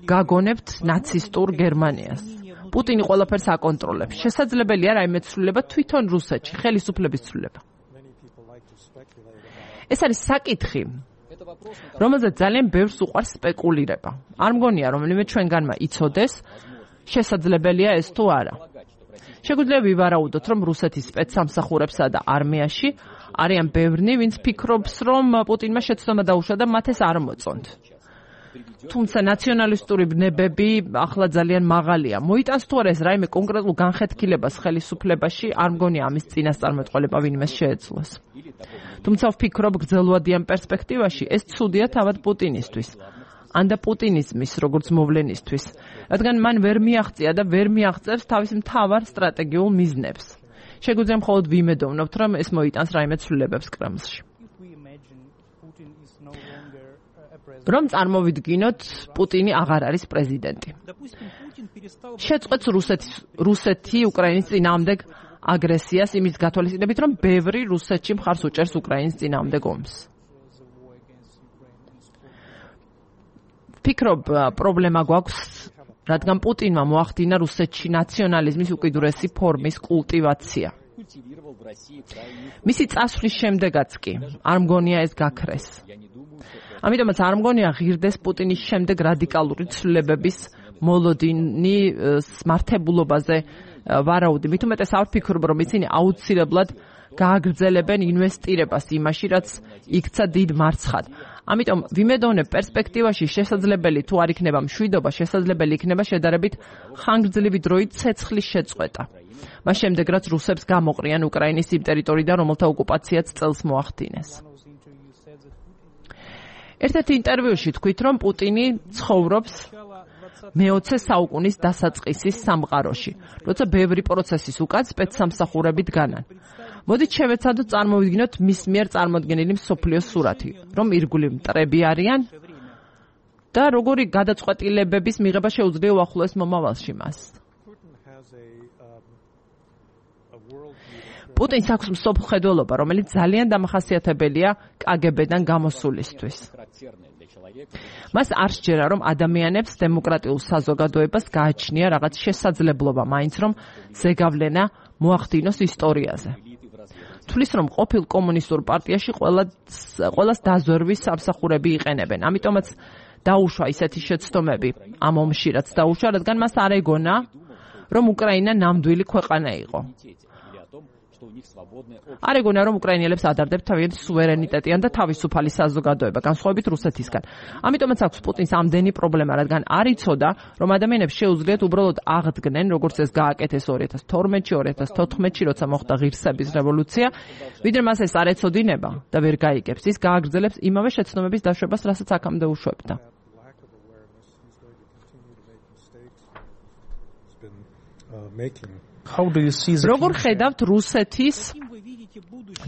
გაგონებთ ნაცისტურ გერმანიას. პუტინი ყველაფერს აკონტროლებს. შესაძლებელია რაიმე ცვლილება თვითონ რუსეთში, ხელისუფლების ცვლილება. ეს არის საკითხი, რომელზეც ძალიან ბევრს უყვარს სპეკულირება. არ მგონია, რომელიმე ჩვენგანმა იცოდეს, შესაძლებელია ეს თუ არა. შეგვიძლია ვივარაუდოთ, რომ რუსეთის სპეცსამსახურებსა და არმიაში არიან ბევრნი, ვინც ფიქრობს, რომ პუტინმა შეცდომა დაუშვა და მათ ეს არ მოწონთ. თუმცა ნაციონალისტური ბნებები ახლა ძალიან მაღალია. მოიტანს თუ არა ეს რაიმე კონკრეტულ განხეთქილებას ხელისუფლებაში, არ მგონია ამის წინასწარმეტყველება ვინმეს შეეძლოს. თუმცა ვფიქრობ, გრძელვადიან პერსპექტივაში ეს ცუდია თავად პუტინისთვის. ან და პუტინიზმის როგორც მოვლენისთვის, რადგან მან ვერ მიაღწია და ვერ მიაღწევს თავის მთავარ სტრატეგიულ მიზნებს. შეგვიძლია მხოლოდ ვიმედოვნებთ, რომ ეს მოიტანს რაიმე ცვლილებებს კრემლში. რომ წარმოვიდგინოთ, პუტინი აღარ არის პრეზიდენტი. შეწყვეტს რუსეთის რუსეთი უკრაინის წინააღმდეგ აგრესიას იმის გათვალისწინებით, რომ ბევრი რუსეთში მხარს უჭერს უკრაინის წინააღმდეგ ომს. ფიქრობ, პრობლემა გვაქვს, რადგან პუტინმა მოახდინა რუსეთში ნაციონალიზმის უკიდურესი ფორმის კულტივაცია. მისი წასვლის შემდეგაც კი არ მგონია ეს გაქრეს. ამიტომაც არ მგონია ღირდეს პუტინის შემდეგ რადიკალური ცვლილებების მოლოდინი მართებულობაზე ვარაუდი. მით უმეტეს არ ვფიქრობ, რომ ისინი აუცილებლად გააგრძელებენ ინვესტირებას იმაში, რაც იქცა დიდ მარცხად. ამიტომ ვიმედოვნებ პერსპექტივაში შესაძლებელი თუ არ იქნება მშვიდობა, შესაძლებელი იქნება შედარებით ხანგრძლივი დროით ცეცხლის შეწყვეტა. მას შემდეგ რაც რუსებს გამოყრიან უკრაინის იმ ტერიტორიიდან, რომელთა ოკუპაციაც წელს მოახდინეს. ერთ-ერთ ინტერვიუში თქვით, რომ პუტინი ცხოვრობს მეოცე საუკუნის დასაწყისის სამყაროში, როცა ბევრი პროცესის უკან სპეცსამსახურები დგანან. მოდით შევეცადოთ წარმოვიდგინოთ მის მიერ წარმოდგენილი მსოფლიოს სურათი, რომ ირგვლივ მტრები არიან და როგორი გადაწყვეტილებების მიღება შეუძლია უახლოეს მომავალში მას. პუტინს აქვს მსოფლმხედველობა, რომელიც ძალიან დამახასიათებელია კაგებედან გამოსულისთვის. მას არ სჯერა, რომ ადამიანებს დემოკრატიულ საზოგადოებას გააჩნია რაღაც შესაძლებლობა, მაინც რომ ზეგავლენა მოახდინოს ისტორიაზე. თulis რომ ყოფილ კომუნისტურ პარტიაში ყველას ყველას დაზვერვის სამსახურები იყენებენ. ამიტომაც დაუშვა ისეთი შეცდომები ამ ომში, რაც დაუშვა, რადგან მას არ ეგონა, რომ უკრაინა ნამდვილი ქვეყანა იყო. არ ეგონა, რომ უკრაინელებს ადარდებთ თავიანთი სუვერენიტეტიან და თავისუფალი საზოგადოება, განსხვავებით რუსეთისგან. ამიტომაც აქვს პუტინს ამდენი პრობლემა, რადგან არ იცოდა, რომ ადამიანებს შეუძლიათ უბრალოდ აღდგნენ, როგორც ეს გააკეთეს ორი ათას თორმეტში, ორი ათას თოთხმეტში, როცა მოხდა ღირსების რევოლუცია, ვიდრე მას ეს არ ეცოდინება და ვერ გაიგებს, ის გააგრძელებს იმავე შეცდომების დაშვებას, რასაც აქამდე უშვებდა. როგორ ხედავთ რუსეთის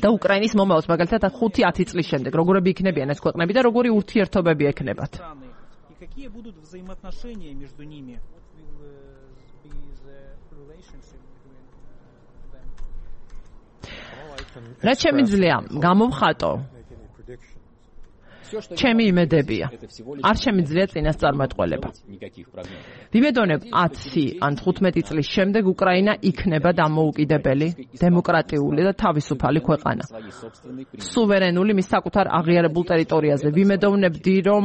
და უკრაინის მომავალს, მაგალითად ხუთი ათი წლის შემდეგ, როგორები იქნებიან ეს ქვეყნები და როგორი ურთიერთობები ექნებათ? რა შემიძლია გამოვხატო? ჩემი იმედებია. არ შემიძლია წინასწარმეტყველება. ვიმედოვნებ ათი ან თხუთმეტი წლის შემდეგ უკრაინა იქნება დამოუკიდებელი, დემოკრატიული და თავისუფალი ქვეყანა. სუვერენული მის საკუთარ აღიარებულ ტერიტორიაზე. ვიმედოვნებდი, რომ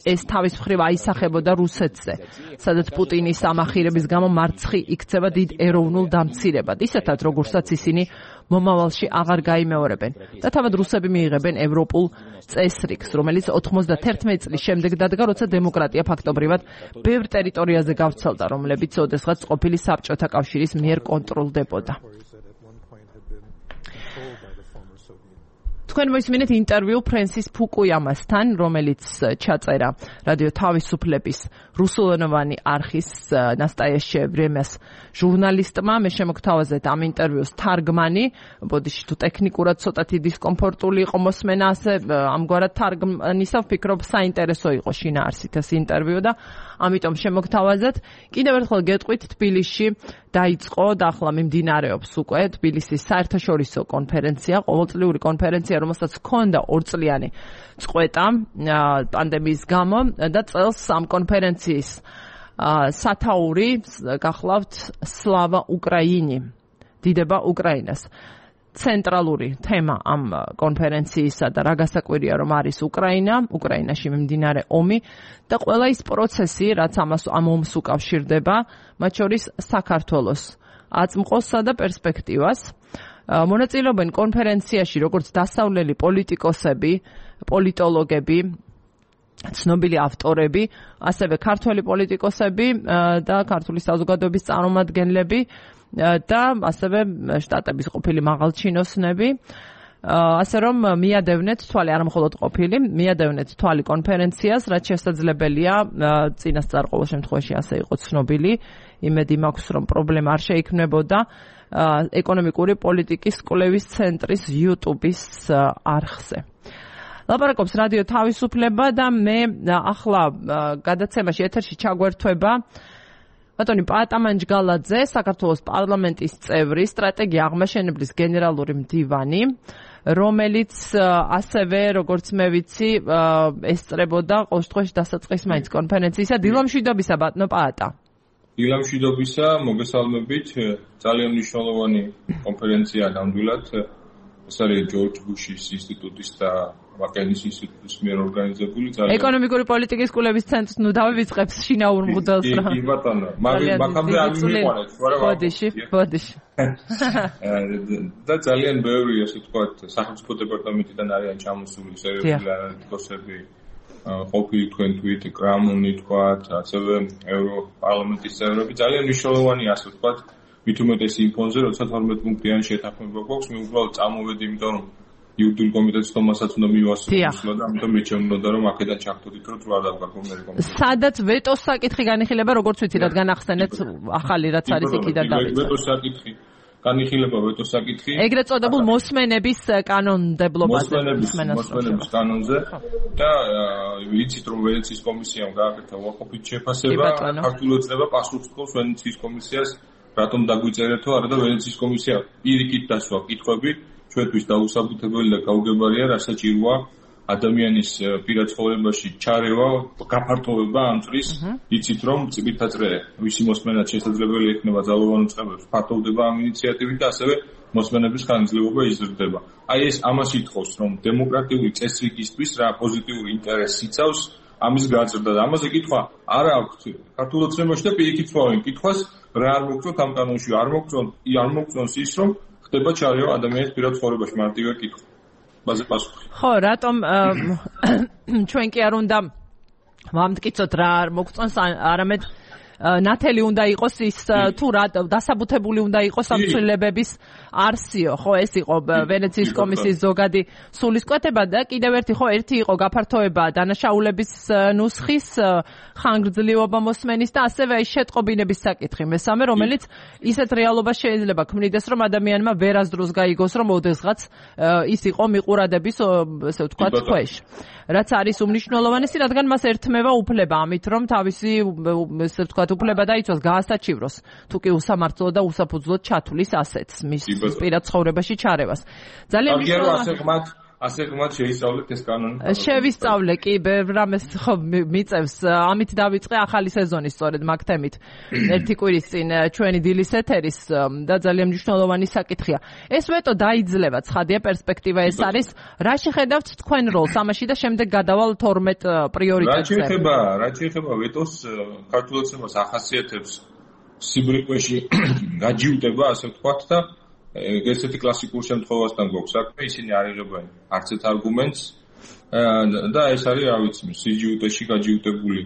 ეს თავის მხრივ აისახებოდა რუსეთზე, სადაც პუტინის ამახირების გამო მარცხი იქცევა დიდ ეროვნულ დამცირებად, ისეთად როგორცაც ისინი მომავალში აღარ გაიმეორებენ და თავად რუსები მიიღებენ ევროპულ წესრიგს, რომელიც ოთხმოცდაათი წლის შემდეგ დადგა, როცა დემოკრატია ფაქტობრივად ბევრ ტერიტორიაზე გავრცელდა, რომლებიც ოდესღაც ყოფილი საბჭოთა კავშირის მიერ კონტროლდებოდა. თქვენ მოისმინეთ ინტერვიუ ფრენსის ფუკუიამასთან, რომელიც ჩაწერა რადიო თავისუფლების რუსულენოვანი არხის ნასტაიაშე ვრემეს ჟურნალისტმა. მე შემოგთავაზეთ ამ ინტერვიუს თარგმანი, ბოდიში თუ ტექნიკურად ცოტათი დისკომფორტული იყო მოსმენა, ასე ამგვარად თარგმნისა ვფიქრობ საინტერესო იყო შინაარსით ეს ინტერვიუ და ამიტომ შემოგთავაზეთ. კიდევ ერთხელ გეტყვით, თბილისში დაიწყო და ახლა მიმდინარეობს უკვე თბილისის საერთაშორისო კონფერენცია, ყოველწლიური კონფერენცია, რომელსაც ჰქონდა ორწლიანი წყვეტა პანდემიის გამო და წელს ამ კონფერენციის სათაური გახლავთ სლავა უკრაინი, დიდება უკრაინას. ცენტრალური თემა ამ კონფერენციისა და რა გასაკვირია, რომ არის უკრაინა, უკრაინაში მიმდინარე ომი და ყველა ის პროცესი, რაც ამას ამ ომს უკავშირდება, მათ შორის საქართველოს აწმყოსსა და პერსპექტივას. მონაწილეობენ კონფერენციაში როგორც დასავლელი პოლიტიკოსები, პოლიტოლოგები, ცნობილი ავტორები, ასევე ქართველი პოლიტიკოსები და ქართული საზოგადოების წარმომადგენლები და ასევე შტატების ყოფილი მაღალჩინოსნები. ასე რომ მიადევნეთ თვალი არ მხოლოდ ყოფილი, მიადევნეთ თვალი კონფერენციას, რაც შესაძლებელია წინასწარ ყოველ შემთხვევაში ასე იყო ცნობილი. იმედი მაქვს, რომ პრობლემა არ შეიქმნებოდა ეკონომიკური პოლიტიკის კვლევის ცენტრის YouTube-ის არხზე. ლაპარაკობს რადიო თავისუფლება და მე ახლა გადაცემაში ეთერში ჩაგვერთვება ბატონი პატამანჯგალაძე, საქართველოს პარლამენტის წევრი, სტრატეგია აღმაშენებლის გენერალური მდივანი, რომელიც ასევე, როგორც მე ვიცი, ესწრებოდა ყოველ შემთხვევაში დასაწყის მაინც კონფერენციისა. დილამშვიდობისა, ბატონო პაატა. დილამშვიდობისა, მოგესალმებით. ძალიან მნიშვნელოვანი კონფერენცია ნამდვილად. ეს არის ჯორჯ ბუშის ინსტიტუტის და ვაკენის ინსტიტუტის მიერ ორგანიზებული. ეკონომიკური პოლიტიკის კვლევის ცენტრს ნუ დავივიწყებს შინაურ მღვდელს რა. კი ბატონო, მაგამდე არ მიყვანეთ, მაგრამ ბოდიში, ბოდიში. და ძალიან ბევრი, ასე ვთქვათ, სახელმწიფო დეპარტამენტიდან არიან ჩამოსული სერიოზული ანალიტიკოსები, ყოფილი თქვენ თვით, კრამონი თქვათ, ასევე ევროპარლამენტის წევრები. ძალიან მნიშვნელოვანია, ასე ვთქვათ, მით უმეტეს იმ ფონზე, როცა თორმეტ პუნქტიანი შეთანხმება გვაქვს, მე უბრალოდ წამოვედი, იმიტომ რომ იურიდიული კომიტეტის თომასაც უნდა მივასწავლო და ამიტომ მეჩვენებოდა რომ აქედან ჩაგდოდით რომ თუ არ დავგაკო მე კომიტეტი. სადაც ვეტოს საკითხი განიხილება, როგორც ვიცი, რადგან ახსენეთ ახალი რაც არის იქიდან დავიწყე. ვეტოს საკითხი განიხილება ვეტოს საკითხი. ეგრეთ წოდებულ მოსმენების კანონმდებლობაზე. მოსმენების კანონზე და ვიცით რომ ვენეციის კომისიამ გააკეთა უარყოფით შეფასება, ქართული ოცნება პასუხს თხოვს ვენეციის კომისიას, რატომ დაგვიწერეთო, არა და ვენეციის კომისია პირიქით დასვა კითხვები. ჩვენთვის დაუსაბუთებელი და გაუგებარია, რასაჭიროა ადამიანის პირად ცხოვრებაში ჩარევა, გაფართოვება ამ წრის, იცით რომ წიბირთაწრე ვისი მოსმენაც შესაძლებელი ექნება ძალოვან უწყებებს, ფართოვდება ამ ინიციატივით და ასევე მოსმენების ხანგრძლივობა იზრდება. აი ეს ამას ითხოვს, რომ დემოკრატიული წესრიგისთვის რა პოზიტიური ინტერესი იცავს ამის გაზრდა და ამაზე კითხვა არ აქვს ქართულ ოცნებაში და პირიქით ვსვავენ კითხვას, რა არ მოგწონთ ამ კანონში, არ მოგწონთ, არ მოგწონს ის რომ ხდება ჩარევა ადამიანის პირად ცხოვრებაში, მარტივია კითხვა. ბაზე პასუხი. ხო, რატომ ჩვენ კი არ უნდა ვამტკიცოთ რა არ მოგწონს, არამედ ნათელი უნდა იყოს ის თუ რა დასაბუთებული უნდა იყოს ამ ცვლილებების არსიო, ხო, ეს იყო ვენეციის კომისიის ზოგადი სულისკვეთება და კიდევ ერთი ხო, ერთი იყო გაფართოება დანაშაულების ნუსხის ხანგრძლივობა მოსმენის და ასევე აი შეტყობინების საკითხი მესამე, რომელიც ისეთ რეალობას შეიძლება ქმნიდეს, რომ ადამიანმა ვერასდროს გაიგოს, რომ ოდესღაც ის იყო მიყურადების, ესე ვთქვათ, ქვეშ. რაც არის უმნიშვნელოვანესი, რადგან მას ერთმევა უფლება ამით, რომ თავისი ესე ვთქვათ უფლება დაიცვას გაასაჩივროს, თუ კი უსამართლო და უსაფუძვლოდ ჩათვლის ასეთს მის პირად ცხოვრებაში ჩარევას. ძალიან მნიშვნელოვანია ასე ღმად შეისწავლეთ ეს კანონი. შევისწავლე კი, ბევრ რამეს ხო მიწევს. ამით დავიწყე ახალი სეზონი სწორედ მაგ თემით. ერთი კვირის წინ ჩვენი დილის ეთერის და ძალიან მნიშვნელოვანი საკითხია. ეს ვეტო დაიძლება, ცხადია პერსპექტივა ეს არის. რა შეხედავთ თქვენ როლს ამაში და შემდეგ გადავალ თორმეტ პრიორიტეტზე. რა შეეხება, რა შეეხება ვეტოს ქართულ ოცნებას ახასიათებს სიბრიყვეში გაჯიუტება, ასე ვთქვათ და ესეთი კლასიკურ შემთხვევასთან გვაქვს საქმე, ისინი არ იღებენ არც ერთ არგუმენტს და ეს არის, რა ვიცი, სიჯიუტეში გაჯიუტებული,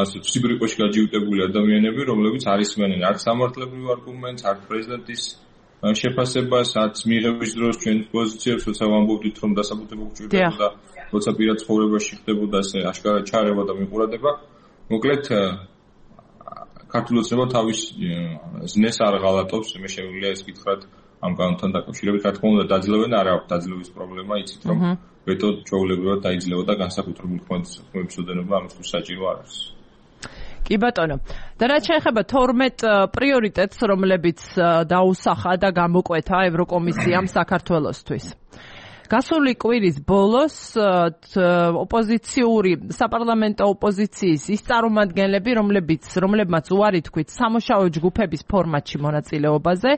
ასე სიბრიყვეში გაჯიუტებული ადამიანები, რომლებიც არ ისმენენ არც სამართლებრივ არგუმენტს, არც პრეზიდენტის შეფასებას, არც მიღების დროს ჩვენს პოზიციებს, როცა ვამბობდით, რომ დასაბუთება უჭირდებოდა და როცა პირად ცხოვრებაში ხდებოდა ასე აშკარად ჩარევა და მიყურადება. მოკლედ ქართულ ოცნება თავის ზნეს არ ღალატობს, მე შეგვიძლია ეს გითხრათ ამ კანონთან დაკავშირებით, რა თქმა უნდა, დაძლევენ არ აქვს დაძლევის პრობლემა, იცით რომ ვეტო ჩვეულებრივად დაიძლევა და განსაკუთრებული ხმების ოდენობა ამისთვის საჭირო არ არის. კი ბატონო. და რაც შეეხება თორმეტ პრიორიტეტს, რომლებიც დაუსახა და გამოკვეთა ევროკომისიამ საქართველოსთვის. გასული კვირის ბოლოს ოპოზიციური საპარლამენტო ოპოზიციის ის წარმომადგენლები, რომლებიც რომლებმაც უარი თქვით სამუშაო ჯგუფების ფორმატში მონაწილეობაზე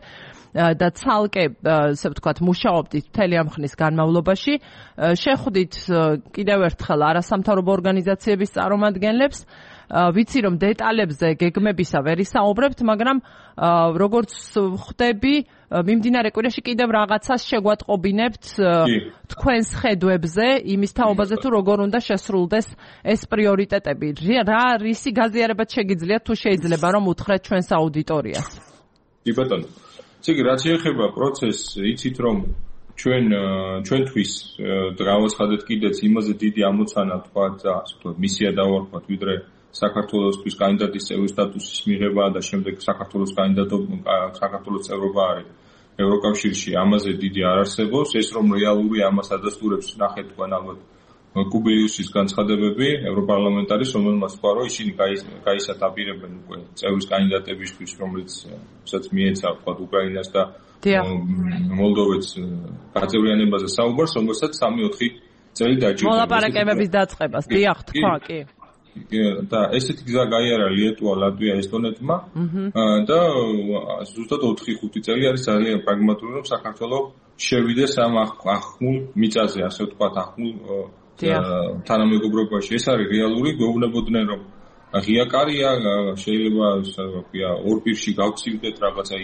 და ცალკე, ასე ვთქვათ, მუშაობდით მთელი ამ ხნის განმავლობაში, შეხვდით კიდევ ერთხელ არასამთავრობო ორგანიზაციების წარმომადგენლებს ვიცი რომ დეტალებზე გეგმებისა ვერ ისაუბრებთ, მაგრამ როგორც ხვდები, მიმდინარე კვირაში კიდევ რაღაცას შეგვატყობინებთ თქვენს ხედვებზე, იმის თაობაზე თუ როგორ უნდა შესრულდეს ეს პრიორიტეტები. რა რისი გაზიარებაც შეგიძლიათ თუ შეიძლება რომ უთხრეთ ჩვენს აუდიტორიას. კი ბატონო. ესე იგი, რაც შეეხება პროცესს, იცით რომ ჩვენ ჩვენთვის გავაცხადეთ კიდეც იმაზე დიდი ამოცანა თქვა და ასე ვთქვათ, მისია დავარქვათ, ვიდრე საქართველოსთვის კანდიდატის წევრის სტატუსის მიღება და შემდეგ საქართველოს კანდიდატობა საქართველოს წევრობა არის ევროკავშირში, ამაზე დიდი არ არსებობს. ეს რომ რეალური ამას ადასტურებს, ნახეთ თქვენ ალბათ კუბიუსის განცხადებები ევროპარლამენტარის, რომელმაც თქვა, რომ ისინი გაისატაპირებენ უკვე წევრის კანდიდატებისთვის, რომელიც სადაც მიეცა თქვა უკრაინას და მოლდოვეთს გაწევრიანებაზე საუბარს, რომელსაც სამი-ოთხი წელი დაჭირდა. მოლაპარაკებების დაწყებას, დიახ, თქვა, კი. და ესეთი გზა გაიარა ლიეტუვა, ლატვია, ესტონეთმა და ზუსტად ოთხი-ხუთი წელი არის ძალიან პრაგმატული, რომ საქართველოს შევიდეს ამ ახმულ მიწაზე, ასე ვთქვათ, ახმულ თანამეგობრობაში. ეს არის რეალური, გვეუბნებოდნენ, რომ ღია კარია, შეიძლება ვთქვია, ორ პირში გავცილდეთ რაღაცა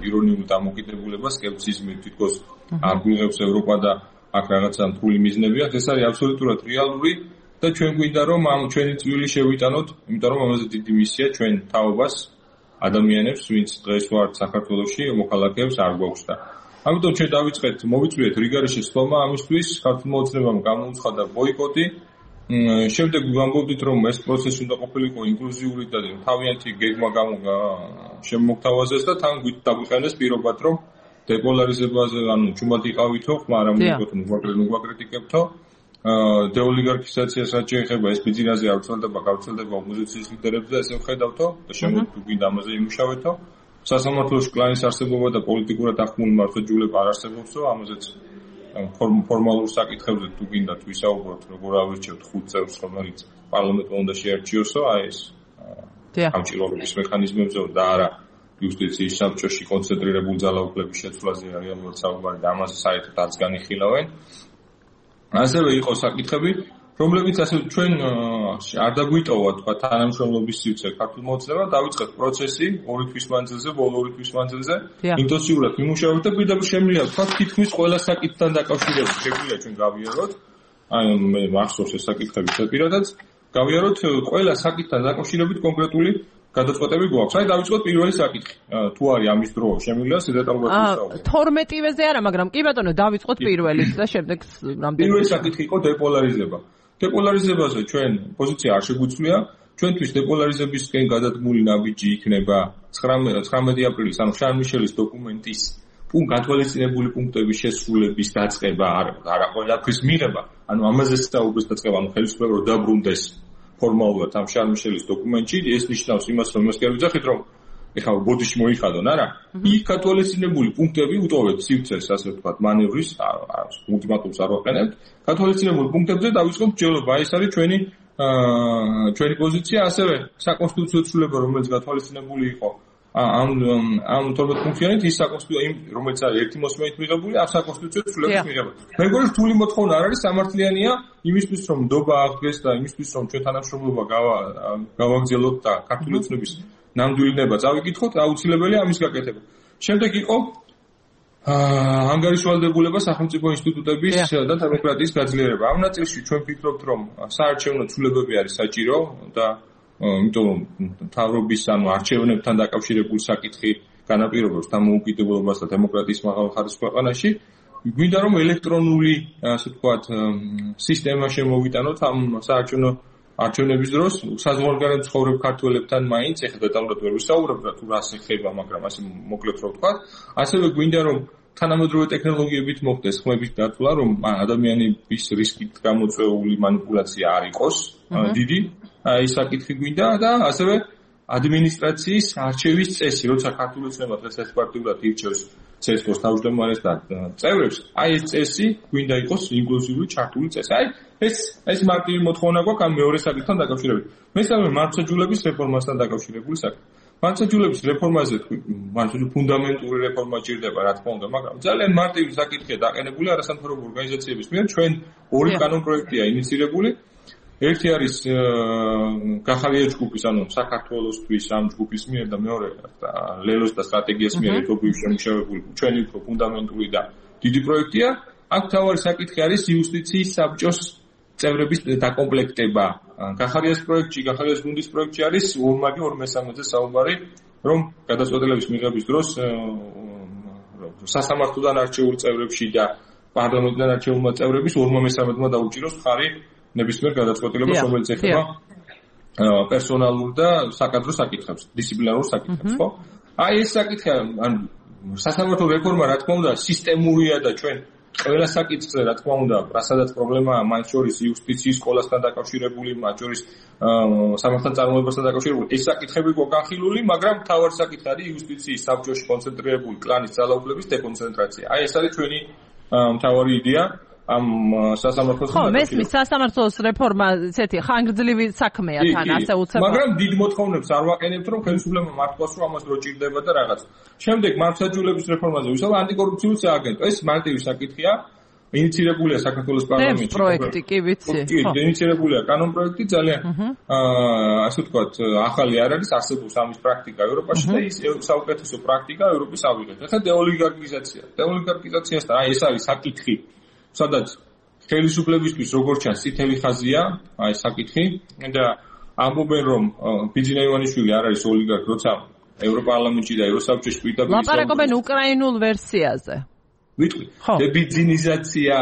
ირონიული დამოკიდებულება, სკეპტიციზმი თითქოს არ გვიღებს ევროპა და აქ რაღაცა მთული მიზნები აქვს. ეს არის აბსოლუტურად რეალური და ჩვენ გვინდა რომ ამ ჩვენი წვლილი შევიტანოთ, იმიტომ რომ ამაზე დიდი მისია ჩვენ თაობას ადამიანებს, ვინც დღეს ვართ საქართველოში, მოქალაქეებს არ გვაქვს და ამიტომ ჩვენ დავიწყეთ, მოვიწვიეთ რიგარიშის თქმა ამისთვის, ქართულმა ოცნებამ გამოუცხადა ბოიკოტი. შემდეგ ვამბობდით, რომ ეს პროცესი უნდა ყოფილიყო ინკლუზიური და თავიანთი გეგმა შემოგთავაზეს და თან დაგვიყენეს პირობად, რომ დეპოლარიზებაზე, ანუ ჩუმად იყავითო, მაგრამ მოგვაკრიტიკებთ, მოგვაკრიტიკებთო. დეოლიგარქიზაციას რაც შეეხება, ეს ბიზნესზე არ ვრცელდება, გავრცელდება ოპოზიციის ლიდერებზე, ესე ვხედავთო და შემდეგ თუ გინდა ამაზე იმუშავეთო. სასამართლოში კლანის არსებობა და პოლიტიკურად ახმული მართლმსაჯულება არ არსებობსო, ამაზეც ფორმალურ საკითხებზე თუ გინდა თუ ისაუბროთ, როგორ ავირჩევთ ხუთ წევრს, რომელიც პარლამენტმა უნდა შეარჩიოსო, აი ეს ამჭირვალობის მექანიზმებზე და არა იუსტიციის საბჭოში კონცენტრირებული ძალაუფლების შეცვლაზე რეალურად საუბარი და ამაზე საერთოდ არც განიხილავენ. ასევე იყო საკითხები, რომლებიც ასე ჩვენ არ დაგვიტოვა თქვა თანამშრომლობის სივრცე ქართულმა ოცნებამ, დავიწყეთ პროცესი ორი თვის მანძილზე, ბოლო ორი თვის მანძილზე, ინტენსიურად ვიმუშავებთ და პირდაპირ შემიძლია თქვა თითქმის ყველა საკითხთან დაკავშირებით შეგვიძლია ჩვენ გავიაროთ. აი მე მახსოვს ეს საკითხები პირადად, გავიაროთ ყველა საკითხთან დაკავშირებით კონკრეტული გადაწყვეტები გვაქვს. აი დავიწყოთ პირველი საკითხი. თუ არის ამის დრო, შემიძლია დეტალურად ვისაუბროთ. თორმეტივეზე არა, მაგრამ კი ბატონო, დავიწყოთ პირველით და შემდეგ რამდენი. პირველი საკითხი იყო დეპოლარიზება. დეპოლარიზებაზე ჩვენ პოზიცია არ შეგვიცვლია. ჩვენთვის დეპოლარიზებისკენ გადადგმული ნაბიჯი იქნება ცხრამეტი აპრილის, ანუ შარლ-მიშელის დოკუმენტის გათვალისწინებული პუნქტების შესრულების დაწყება, არა ყველაფრის მიღება, ანუ ამაზე საუბრის დაწყება, ანუ ხელისუფლება რომ დაბრუნდეს ფორმალურად ამ შარლ-მიშელის დოკუმენტში, ეს ნიშნავს იმას, რომ იმას კი არ ვიძახით, რომ ეხლა ბოდიში მოიხადონ, არა? იქ გათვალისწინებული პუნქტები უტოვებთ სივრცეს, ასე ვთქვათ, მანევრის, ულტიმატუმს არ ვაყენებთ. გათვალისწინებული პუნქტებზე დავიწყოთ ბრძოლა, ეს არის ჩვენი ჩვენი პოზიცია, ასევე საკონსტიტუციო ცვლილება, რომელიც გათვალისწინებული იყო ამ ამ თორმეტ პუნქტიანით, ის საკონსტიტუციო, რომელიც არის ერთი მოსმენით მიღებული, ამ საკონსტიტუციო ცვლილების მიღება. მე მგონი რთული მოთხოვნა არ არის, სამართლიანია იმისთვის, რომ ნდობა აღდგეს და იმისთვის, რომ ჩვენ თანამშრომლობა გავაგრძელოთ და ქართული ოცნების ნამდვილება წავიკითხოთ, აუცილებელია ამის გაკეთება. შემდეგ იყო ანგარის ვალდებულება სახელმწიფო ინსტიტუტების და დემოკრატიის გაძლიერება. ამ ნაწილში ჩვენ ვფიქრობთ, რომ საარჩევნო ცვლილებები არის საჭირო და იმიტომ რომ მთავრობის ანუ არჩევნებთან დაკავშირებული საკითხი განაპირობებს დამოუკიდებლობას და დემოკრატიის მაღალ ხარისხს ქვეყანაში, გვინდა რომ ელექტრონული, ასე ვთქვათ, სისტემა შემოვიტანოთ ამ საარჩევნო არჩევნების დროს საზღვარგარეთ ცხოვრებ ქართველებთან მაინც ეხლა დეტალურად ვერ ვისაუბრებ რა თუ რას ეხება, მაგრამ ასე მოკლედ რო ვთქვა, ასევე გვინდა რომ თანამედროვე ტექნოლოგიებით მოხდეს ხმების დათვლა, რომ ადამიანების რისკით გამოწვეული манипуляция არ იყოს დიდი, აი საკითხი გვინდა და ასევე ადმინისტრაციის არჩევის წესი, როცა ქართული ოცნება დღეს ესპარტიულად ირჩევს ცესკოს თავმჯდომარეს და წევრებს, აი ეს წესი გვინდა იყოს ინკლუზიური ჩართული წესი. აი ეს ეს მარტივი მოთხოვნა გვაქვს ამ მეორე საკითხთან დაკავშირებით. მესამე მართლმსაჯულების რეფორმასთან დაკავშირებული საკითხი. მართლმსაჯულების რეფორმაზე მართლმსაჯულების ფუნდამენტური რეფორმა ჭირდება, რა თქმა უნდა, მაგრამ ძალიან მარტივი საკითხია დაყენებული არასამთავრობო ორგანიზაციების მიერ. ჩვენ ორი კანონპროექტია ინიცირებული. ერთი არის გახალია ჯგუფის, ანუ საქართველოსთვის ამ ჯგუფის მიერ და მეორე ლელოს და სტრატეგიას მიერ ეთობრივ შემუშავებული ჩვენი უფრო ფუნდამენტური და დიდი პროექტია. აქ თავარი საკითხი არის იუსტიციის საბჭოს წევრების დაკომპლექტება. გახალიას პროექტში, გახალიას გუნდის პროექტში არის ორმაგი ორ მესამედზე საუბარი, რომ გადაწყვეტილების მიღების დროს სასამართლოდან არჩეულ წევრებში და პარლამენტიდან არჩეულ წევრების ორ მესამედმა დაუჭიროს ხარი ნებისმიერ გადაწყვეტილებას, რომელიც ეხება პერსონალურ და საკადრო საკითხებს, დისციპლინარულ საკითხებს, ხო? აი ეს საკითხი, ან სასამართლო რეფორმა, რა თქმა უნდა, სისტემურია და ჩვენ ყველა საკითხზე, რა თქმა უნდა, რასაც პრობლემაა, მათ შორის იუსტიციის სკოლასთან დაკავშირებული, მათ შორის სამართალთან წარმოებასთან დაკავშირებული, ეს საკითხები გვგანხილული, მაგრამ მთავარი საკითხი არის იუსტიციის საბჭოში კონცენტრირებული კლანის ძალაუფლების დეკონცენტრაცია. აი ეს არის ჩვენი მთავარი იდეა. ამ სასამართლოს ხო, მესმის სასამართლოს რეფორმა ესეთი ხანგრძლივი საქმეა თან ასე უცებ. მაგრამ დიდ მოთხოვნებს არ ვაყენებთ, რომ ხელისუფლება მართლაც რომ ამას რო ჭირდება და რაღაც. შემდეგ მართლმსაჯულების რეფორმაზე ვისაუბრებთ, ანტიკორუფციული სააგენტო. ეს მარტივი საკითხია. ინიცირებულია საქართველოს პარლამენტში პროექტი, კი ვიცი. კი, ინიცირებულია კანონ პროექტი ძალიან აა ასე ვთქვათ, ახალი არ არის, არსებობს ამის პრაქტიკა ევროპაში და ის საუკეთესო პრაქტიკა ევროპის ავიღეთ. ახლა დეოლიგარქიზაცია. დეოლიგარქიზაციასთან აი ეს არის საკითხი. სადაც ხელისუფლებისთვის როგორც ჩანს წითელი ხაზია, აი საკითხი და ამბობენ რომ ბიძინა ივანიშვილი არ არის ოლიგარქი, როცა ევროპარლამენტში და ევროსაბჭოში პირდაპირ ლაპარაკობენ უკრაინულ ვერსიაზე. ვიტყვი, დებიძინიზაცია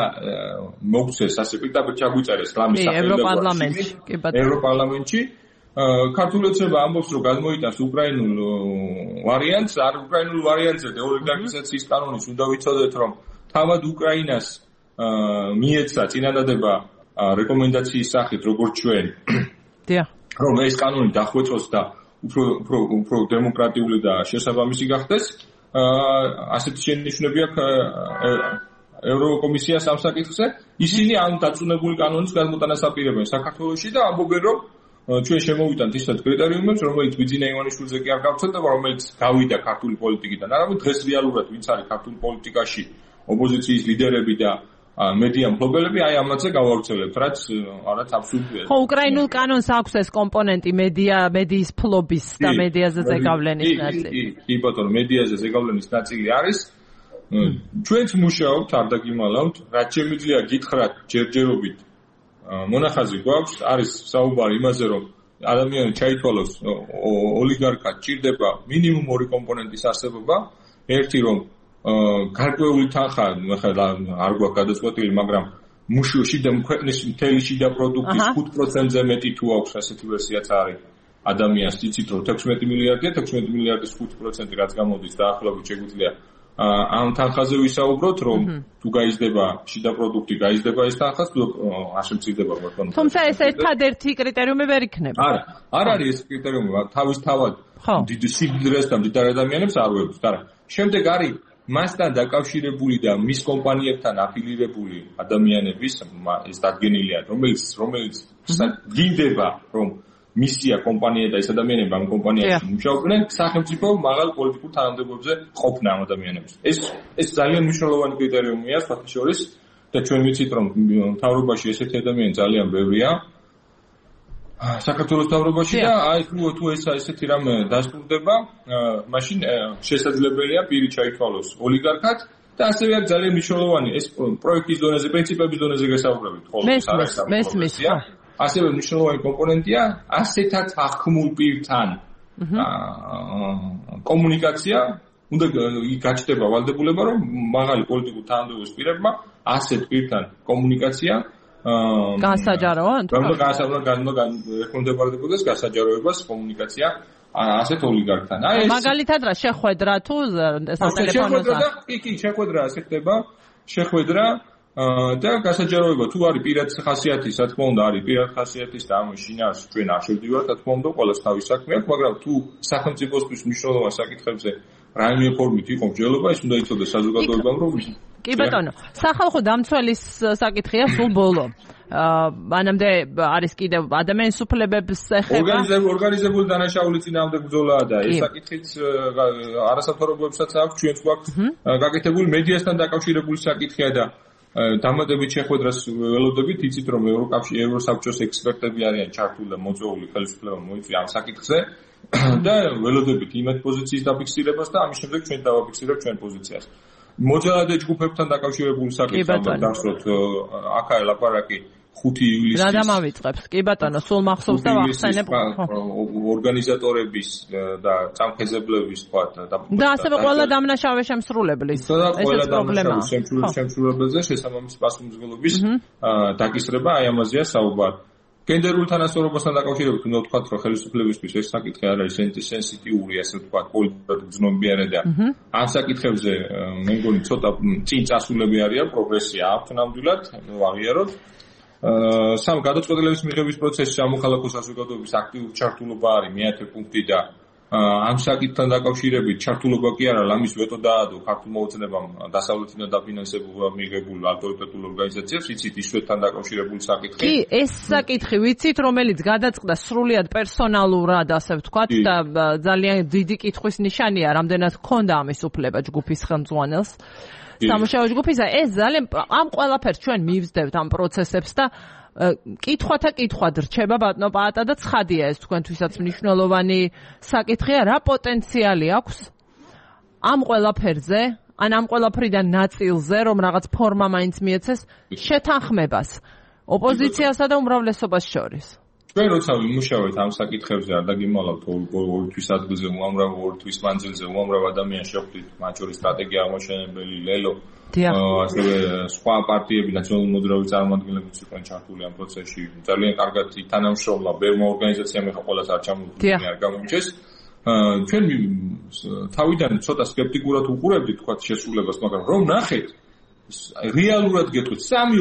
მოგცეს, ასე პირდაპირ ჩაგვიწერეს ლამის ევროპარლამენტში, კი ბატონო. ევროპარლამენტში ქართული ოცნება ამბობს რომ გადმოიტანს უკრაინულ ვარიანტს, არ უკრაინულ ვარიანტზე დეოლიგარქიზაციის კანონის უნდა ვიცოდეთ რომ თავად უკრაინას მიეცა წინადადება რეკომენდაციის სახით როგორც ჩვენ. დიახ. რომ ეს კანონი დახვეწოს და უფრო უფრო უფრო დემოკრატიული და შესაბამისი გახდეს. ასეთი შენიშვნები აქვს ევროკომისიას ამ საკითხზე. ისინი ამ დაწუნებული კანონის გადმოტანას აპირებენ საქართველოში და ამბობენ რომ ჩვენ შემოვიტანთ ისეთ კრიტერიუმებს, რომელიც ბიძინა ივანიშვილზე კი არ გავცელდება, რომელიც გავიდა ქართული პოლიტიკიდან. არამედ დღეს რეალურად ვინც არის ქართული პოლიტიკაში ოპოზიციის ლიდერები და მედია მფლობელები აი ამაზე გავავრცელებთ, რაც არაც აბსურდია. ხო, უკრაინულ კანონს აქვს ეს კომპონენტი მედია, მედიის ფლობის და მედიაზე ზეგავლენის ნაწილი. კი, კი, ბატონო, მედიაზე ზეგავლენის ნაწილი არის. ჩვენც მუშაობთ, არ დაგიმალავთ, რაც შემიძლია გითხრათ ჯერჯერობით. მონახაზი გვაქვს, არის საუბარი იმაზე, რომ ადამიანი ჩაითვალოს ოლიგარქად ჭირდება მინიმუმ ორი კომპონენტის არსებობა, ერთი რომ გარკვეული თანხა, ახლა არ გვაქვს გადაწყვეტილი, მაგრამ მუშოში და ქვეყნის მთელი შიდა პროდუქტის ხუთ პროცენტზე მეტი თუ აქვს, ასეთი ვერსიაც არის. ადამიანს იცით რომ თექვსმეტი მილიარდია, თექვსმეტი მილიარდის ხუთ პროცენტი რაც გამოდის დაახლოებით შეგვიძლია ამ თანხაზე ვისაუბროთ, რომ თუ გაიზრდება შიდა პროდუქტი, გაიზრდება ეს თანხა, თუ არ შემცირდება ბატონო. თუმცა ეს ერთადერთი კრიტერიუმი ვერ იქნება. არა, არ არის ეს კრიტერიუმი, თავისთავად დიდი სიძრეს და დიდ ადამიანებს არ ვეუბნებთ, არა. შემდეგ არის მასთან დაკავშირებული და მის კომპანიებთან აფილირებული ადამიანების ეს დადგენილია, რომელიც რომელიც გინდება, რომ მისია კომპანია და ეს ადამიანები ამ კომპანიაში მუშაობენ, სახელმწიფო მაღალ პოლიტიკურ თანამდებობებზე ყოფნა ამ ადამიანებს. ეს ეს ძალიან მნიშვნელოვანი კრიტერიუმია, სხვათა შორის და ჩვენ ვიცით, რომ მთავრობაში ესეთი ადამიანი ძალიან ბევრია. საქართველოს მთავრობაში და აი თუ თუ ეს ესეთი რამე დასტურდება, მაშინ შესაძლებელია პირი ჩაითვალოს ოლიგარქად და ასევე არის ძალიან მნიშვნელოვანი ეს პროექტის დონეზე, პრინციპების დონეზე გასაუბრებით ხოლმე. მესმის, ხო. ასევე მნიშვნელოვანი კომპონენტია ასეთაც ახმულ პირთან კომუნიკაცია. უნდა გაჩნდება ვალდებულება, რომ მაღალი პოლიტიკურ თანამდებობის პირებმა ასეთ პირთან კომუნიკაცია გასაჯაროა? უნდა გასაჯარო, უნდა ეკონდებარდებოდეს გასაჯაროებას კომუნიკაცია ასეთ ოლიგარქთან. აი ეს მაგალითად რა შეხვედრა თუ სატელეფონოზე? კი, კი, შეხვედრა ასე ხდება, შეხვედრა და გასაჯაროება თუ არის პირად ხასიათის, რა თქმა უნდა, არის პირად ხასიათის და ამ შინაარს ჩვენ არ შევდივართ, რა თქმა უნდა, ყოველს თავის საქმე აქვს, მაგრამ თუ სახელმწიფოსთვის მნიშვნელოვან საკითხებზე რაიმე ფორმით იყო მსჯელობა, ის უნდა იცოდეს საზოგადოებამ, რომ კი ბატონო, სახალხო დამცველის საკითხია სულ ბოლო. მანამდე არის კიდევ ადამიანის უფლებებს ეხება ორგანიზებული დანაშაული წინააღმდეგ ბრძოლაა და ეს საკითხიც არასამთავრობოებსაც აქვს, ჩვენც გვაქვს გაკეთებული მედიასთან დაკავშირებული საკითხია და დამატებით შეხვედრას ველოდებით, იცით რომ ევროკავშირის ევროსაბჭოს ექსპერტები არიან ჩართული და მოწვეული ხელისუფლება მოიწვია ამ საკითხზე და ველოდებით იმათ პოზიციის დაფიქსირებას და ამის შემდეგ ჩვენ დავაფიქსირებთ ჩვენ პოზიციას. მოძალადე ჯგუფებთან დაკავშირებული საკითხი დავსვათ აქაა ლაპარაკი ხუთი ივლისის რა დამავიწყებს? კი ბატონო, სულ მახსოვს და ვახსენებ ორგანიზატორების და წამხეზებლების თქვა და ასევე ყველა დამნაშავე შემსრულებლის ესეც პრობლემაა. შემსრულებელზე შესაბამის პასუხისმგებლობის დაკისრება აი ამაზეა საუბარი. გენდერულ თანასწორობასთან დაკავშირებით უნდა ვთქვათ, რომ ხელისუფლებისთვის ეს საკითხი არ არის სენსიტიური, ასე ვთქვათ, პოლიტიკურად გრძნობიანი და ამ საკითხებზე მე მგონი ცოტა წინ წასულები არიან, პროგრესია აქვთ ნამდვილად, ვაღიაროთ. სამ გადაწყვეტილების მიღების პროცესში ამოხალხო საზოგადოების აქტიური ჩართულობა არის მეათე პუნქტი და ამ საკითხთან დაკავშირებით ჩართულობა კი არა, ამის ვეტო დაადო ქართულ მოუწნებამ დასავლეთიდან დაფინანსებულ მიღებულ ავტორიტეტულ ორგანიზაციებს, იცით ისვეთთან დაკავშირებული საკითხი. კი, ეს საკითხი ვიცით, რომელიც გადაწყდა სრულიად პერსონალურად, ასე ვთქვათ და ძალიან დიდი კითხვის ნიშანია, რამდენად ჰქონდა ამის უფლება ჯგუფის ხელმძღვანელს. სამუშაო ჯგუფისა ეს ძალიან ამ ყველაფერს ჩვენ მივსდევთ ამ პროცესებს და კითხვათა კითხვად რჩება ბატონო პაატა და ცხადია ეს თქვენთვისაც მნიშვნელოვანი საკითხია, რა პოტენციალი აქვს ამ ყველაფერზე, ან ამ ყველაფრიდან ნაწილზე, რომ რაღაც ფორმა მაინც მიეცეს შეთანხმებას ოპოზიციასა და უმრავლესობას შორის. ჩვენ როცა ვიმუშავეთ ამ საკითხებზე, არ დაგიმალავთ ორი თვის ადგილზე უამრავ ორი თვის მანძილზე უამრავ ადამიანს შეხვდით, მათ შორის სტრატეგია აღმაშენებელი ლელო, ასევე სხვა პარტიები, ნაციონალური მოძრაობის წარმომადგენლებიც იყვნენ ჩართული ამ პროცესში. ძალიან კარგად თანამშრომლა ბევრმა ორგანიზაციამ ეხა ყველას არ ჩამოვიდნენ, არ გამოიჩეს. ჩვენ თავიდან ცოტა სკეპტიკურად უყურებდით თქვათ შესრულებას, მაგრამ რომ ნახეთ რეალურად გეტყვით, სამი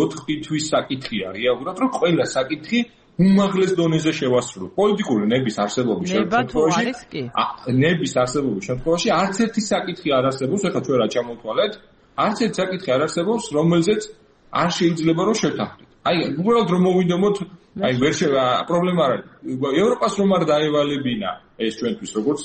ოთხი თვის საკითხია რეალურად, რომ ყველა საკითხი უმაღლეს დონეზე შევასრულოთ. პოლიტიკური ნების არსებობის შემთხვევაში, ნების არსებობის შემთხვევაში არც ერთი საკითხი არ არსებობს, ეხლა ჩვენ რა ჩამოვთვალეთ, არც ერთი საკითხი არ არსებობს, რომელზეც არ შეიძლება რომ შევთანხმდეთ. აი, უბრალოდ რომ მოვიდომოთ, აი ვერ შევა პრობლემა არ არის. ევროპას რომ არ დაევალებინა ეს ჩვენთვის როგორც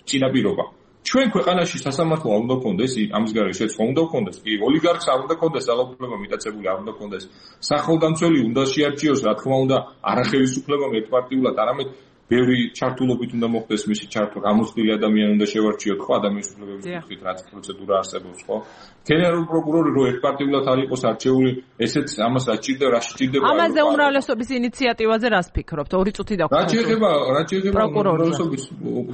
წინაპირობა. ჩვენ ქვეყანაში სასამართლო არ უნდა გქონდეს, ამის გარეშე სხვა უნდა გქონდეს, კი ოლიგარქს არ უნდა გქონდეს, ძალაუფლება მიტაცებული არ უნდა გქონდეს. სახელდამცველი უნდა შეარჩიოს, რა თქმა უნდა, არახელისუფლებამ ერთპარტიულად, არამედ ბევრი ჩართულობით უნდა მოხდეს მისი ჩართვა, გამოცდილი ადამიანი უნდა შევარჩიოთ, ხო, ადამიანის უფლებების კუთხით, რაც პროცედურა არსებობს, ხო? გენერალური პროკურორი რო ერთპარტიულად არ იყოს არჩეული, ესეც ამას რა სჭირდება, რა სჭირდება? ამაზე უმრავლესობის ინიციატივაზე რას ფიქრობთ? ორი წუთი დაგვყავთ. რა შეიძლება, რა შეიძლება უმრავლესობის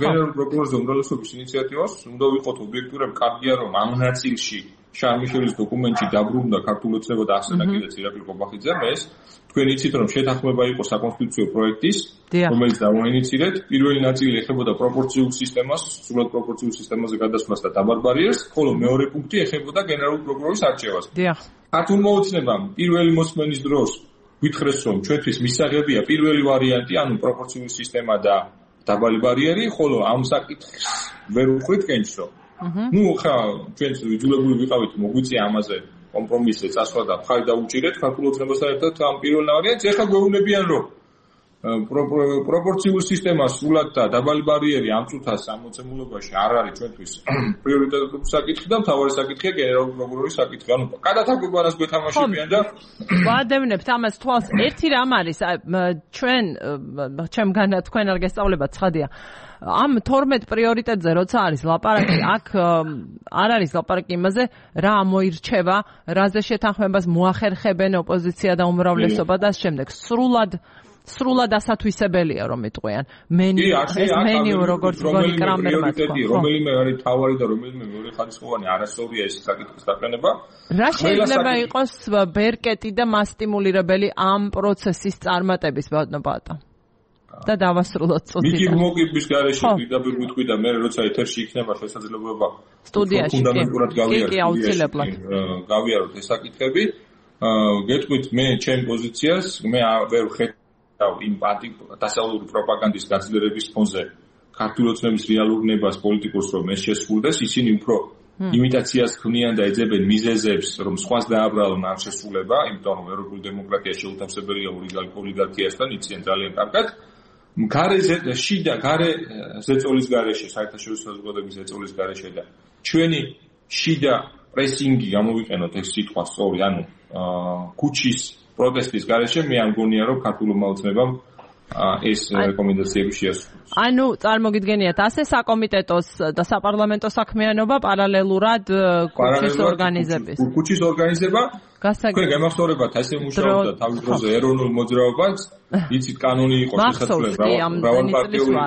გენერალური პროკურორზე უმრავლესობის ინიციატივას უნდა ვიყოთ ობიექტურები, კარგია რომ ამ ნაწილში შარმიშელის დოკუმენტში დაბრუნდა ქართული ოცნება და ახსენა კიდეც ირაკლი ყობახიძემ ეს თქვენ იცით რომ შეთანხმება იყო საკონსტიტუციო პროექტის რომელიც დავაინიცირეთ პირველი ნაწილი ეხებოდა პროპორციულ სისტემას სრულად პროპორციულ სისტემაზე გადასვლას და დაბარბარიერს ხოლო მეორე პუნქტი ეხებოდა გენერალური პროკურორის არჩევას ქართულ მოუწნებამ პირველი მოსმენის დროს გითხრეს რომ ჩვენთვის მისაღებია პირველი ვარიანტი ანუ პროპორციული სისტემა და დაბალი ბარიერი ხოლო ამ საკითხს ვერ უხვით კენჭო ну ხა ჩვენც ვიძულებული ვიყავით მოგვიწია ამაზე კომპრომისზე წასვლა და ხარ დაუჭირეთ ქართულ ოცნებასთან ერთად ამ პირველ ვარიანტს ეხლა გვეუბნებიან რომ პროპორციულ სისტემას სრულად და დაბალი ბარიერი ამ წუთას ამოცემულობაში არ არის ჩვენთვის პრიორიტეტული საკითხი და მთავარი საკითხია გენერალური პროკურორის საკითხი ანუ გადათარგმნას გვეთამაშებიან და ვადევნებთ ამას თვალს ერთი რამ არის ჩვენ ჩემგან თქვენ არ გესწავლებათ ცხადია ამ თორმეტ პრიორიტეტზე როცა არის ლაპარაკი აქ არ არის ლაპარაკი იმაზე რა მოირჩევა რაზე შეთანხმებას მოახერხებენ ოპოზიცია და უმრავლესობა და შემდეგ სრულად სრულად ასათვისებელია რომ იტყვიან მენი ეს მენიუ როგორც გონი კრამერმა თქვა რომელიმე არის თავარი და რომელიმე მეორე ხარისხოვანი არასწორია ეს საკითხის დაყენება რა შეიძლება იყოს ბერკეტი და მასტიმულირებელი ამ პროცესის წარმატების ბატონო და დავასრულოთ წუთი. მიგი მოგიბის გარეშე პირდაპირ ვიტყვი და მე როცა ეთერში იქნება შესაძლებლობა სტუდიაში ფუნდამენტურად გავიაროთ. გავიაროთ ეს საკითხები. გეტყვით მე ჩემ პოზიციას, მე ვერ ხედავ იმ დასავლური პროპაგანდის გაძლიერების ფონზე ქართული ოცნების რეალურ ნებას პოლიტიკურს რომ ეს შესრულდეს, ისინი უფრო იმიტაციას ქმნიან და ეძებენ მიზეზებს, რომ სხვას დააბრალონ ამ შესრულება, იმიტომ რომ ევროპული დემოკრატია შეუთავსებელია ოლიგარქიასთან, იციან ძალიან კარგად. გარეზე შიდა გარე ზეწოლის გარეშე საერთაშორისო საზოგადოების ზეწოლის გარეშე და ჩვენი შიდა პრესინგი გამოვიყენოთ ეს სიტყვა სწორი, ანუ ქუჩის პროტესტის გარეშე მე არ მგონია რომ ქართულმა ოცნებამ ეს რეკომენდაციები შეასრულოს. ანუ წარმოგიდგენიათ, ასე საკომიტეტოს და საპარლამენტო საქმიანობა პარალელურად ქუჩის ორგანიზების. ქუჩის ორგანიზება თქვენ გამახსოვრებათ ასე მუშაობდა თავის დროზე ეროვნულ მოძრაობას, იცით კანონი იყო შესაძლებელი მრავალპარტიული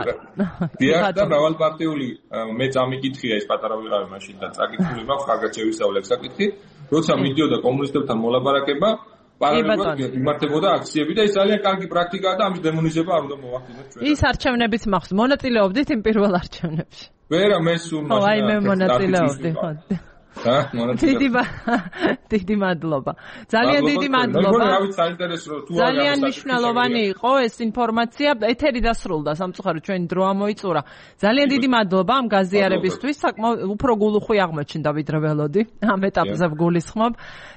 დიახ და მრავალპარტიული მე წამიკითხია ეს პატარა ვიღავი მაშინ და წაკითხული მაქვს, კარგად შევისწავლე საკითხი, როცა მიდიოდა კომუნისტებთან მოლაპარაკება პარალელურად იმართებოდა აქციები და ეს ძალიან კარგი პრაქტიკაა და ამის დემონიზება არ უნდა მოვახდინოთ ჩვენ. ის არჩევნებიც მახსოვს, მონაწილეობდით იმ პირველ არჩევნებში? ვერა, მე სულ მაშინ. აი მე მონაწილეობდი, ხო. და მონაწილეობა. დიდი მადლობა. ძალიან დიდი მადლობა. ძალიან მნიშვნელოვანი იყო ეს ინფორმაცია. ეთერი დასრულდა, სამწუხაროდ ჩვენი დრო ამოიწურა. ძალიან დიდი მადლობა ამ გაზიარებისთვის. საკმაოდ უფრო გულუხვი აღმოჩნდა ვიდრე ველოდი. ამ ეტაპზე გულისხმობ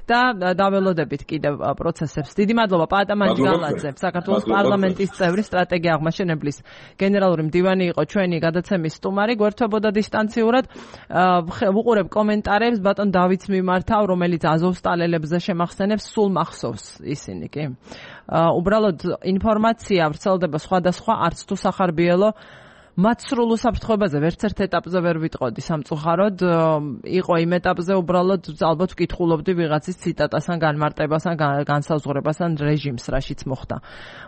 და დაველოდებით კიდევ პროცესებს. დიდი მადლობა პაატა მანჯგალაძე, საქართველოს პარლამენტის წევრი, სტრატეგია აღმაშენებლის გენერალური მდივანი იყო ჩვენი გადაცემის სტუმარი. გვერდთვებოდა დისტანციურად. ვუყურებ კომენტარებს ბატონ დავითს მიმართავ, რომელიც აზოვსტალელებზე შემახსენებს, სულ მახსოვს ისინი, კი. უბრალოდ ინფორმაცია ვრცელდება სხვადასხვა, არც თუ სახარბიელო მათ სრულ უსაფრთხოებაზე ვერც ერთ ეტაპზე ვერ ვიტყოდი სამწუხაროდ. იყო იმ ეტაპზე უბრალოდ ალბათ ვკითხულობდი ვიღაცის ციტატასთან, განმარტებასთან, განსაზღვრებასთან რეჟიმს, რაშიც მოხდა.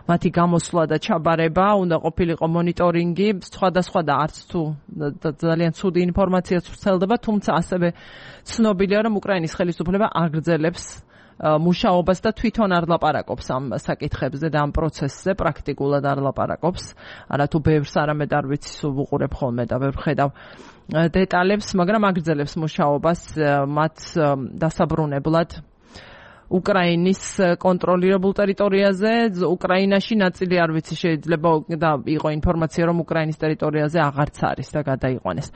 მათი გამოსვლა და ჩაბარება უნდა ყოფილიყო მონიტორინგი, სხვადასხვა და არც თუ ძალიან ცუდი ინფორმაცია ვრცელდება, თუმცა ასევე ცნობილია, რომ უკრაინის ხელისუფლება აგრძელებს მუშაობას და თვითონ არ ლაპარაკობს ამ საკითხებზე და ამ პროცესზე, პრაქტიკულად არ ლაპარაკობს. არა თუ ბევრს არამედ არ ვიცი, სულ ვუყურებ ხოლმე და ვერ ვხედავ დეტალებს, მაგრამ აგრძელებს მუშაობას მათ დასაბრუნებლად უკრაინის კონტროლირებულ ტერიტორიაზე. უკრაინაში ნაწილი არ ვიცი, შეიძლება და იყო ინფორმაცია, რომ უკრაინის ტერიტორიაზე აღარც არის და გადაიყვანეს.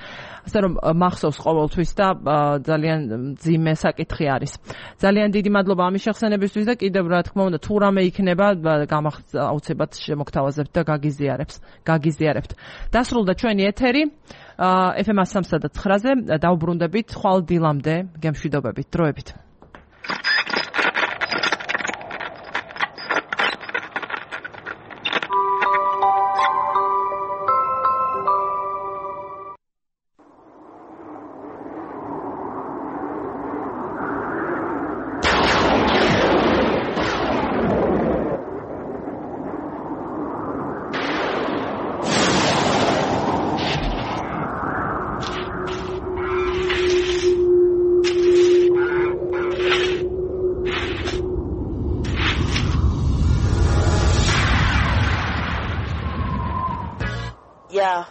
ასე რომ მახსოვს ყოველთვის და ძალიან ძიმე საკითხი არის. ძალიან დიდი მადლობა ამის შეხსენებისთვის და კიდევ რა თქმა უნდა თუ რამე იქნება აუცილებლად შემოგთავაზებთ და გაგიზიარებს, გაგიზიარებთ. დასრულდა ჩვენი ეთერი ეფ ემ სამსა და ცხრაზე. დავუბრუნდებით ხვალ დილამდე, გემშვიდობებით, დროებით. Yeah,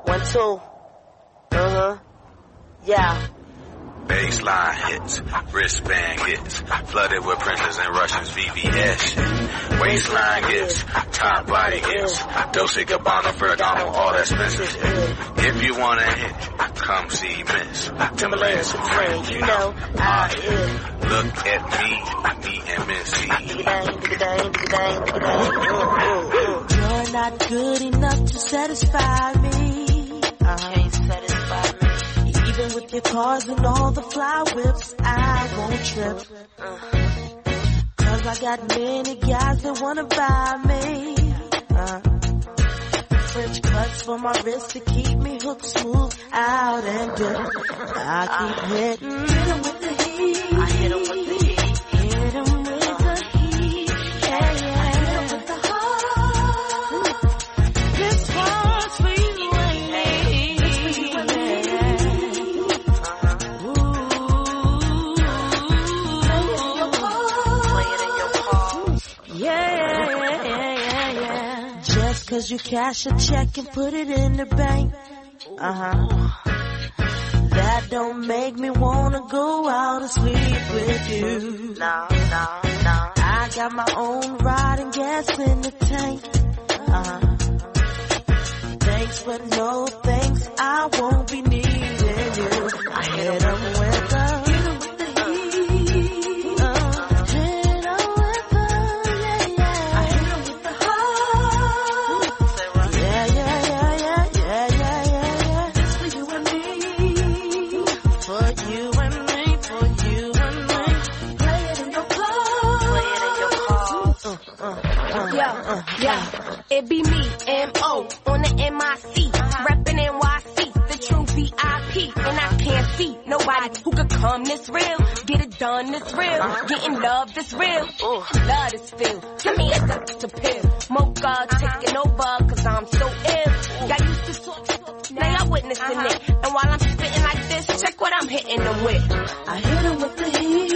one, two, uh-huh, yeah. Baseline hits, wristband hits, flooded with printers and Russians, V V S shit. Waistline gets, top body gets, Dolce Gabbana, Ferragamo, all that expensive shit. If you wanna hit, come see Miss Timberland Supreme, you know I is. Look at me, me and Missy. You're not good enough to satisfy me. I can't satisfy me. Even with your cars and all the fly whips, I won't trip. Cause I got many guys that wanna buy me. Uh, French cuts for my wrist to keep me hooked smooth out and dip. I keep hitting. Hit 'em with the heat. I hit 'em with the heat. Hit 'em with the heat. Yeah, yeah. I hit 'em with the heart. This one's for you and me. This for you and me. Ooh. Play it in your car. Play it in your car. Yeah, yeah, yeah, yeah. Just cause you cash a check and put it in the bank. Uh-huh. That don't make me wanna go out and sleep with you. No, no, no. I got my own ride and gas in the tank. Uh-huh. Thanks but no thanks, I won't be needing you. I hit 'em with the for you and me. it be me, M O, on the M I C, reppin' N Y C, the true V I P, and I can't see nobody who could come this real, get it done this real, getting love this real, love this feel, give me a to pill, mocha taking over, cause I'm so ill, y'all used to talk, now y'all witnessing it, and while I'm spitting like this, check what I'm hitting them with, I hit them with the heat.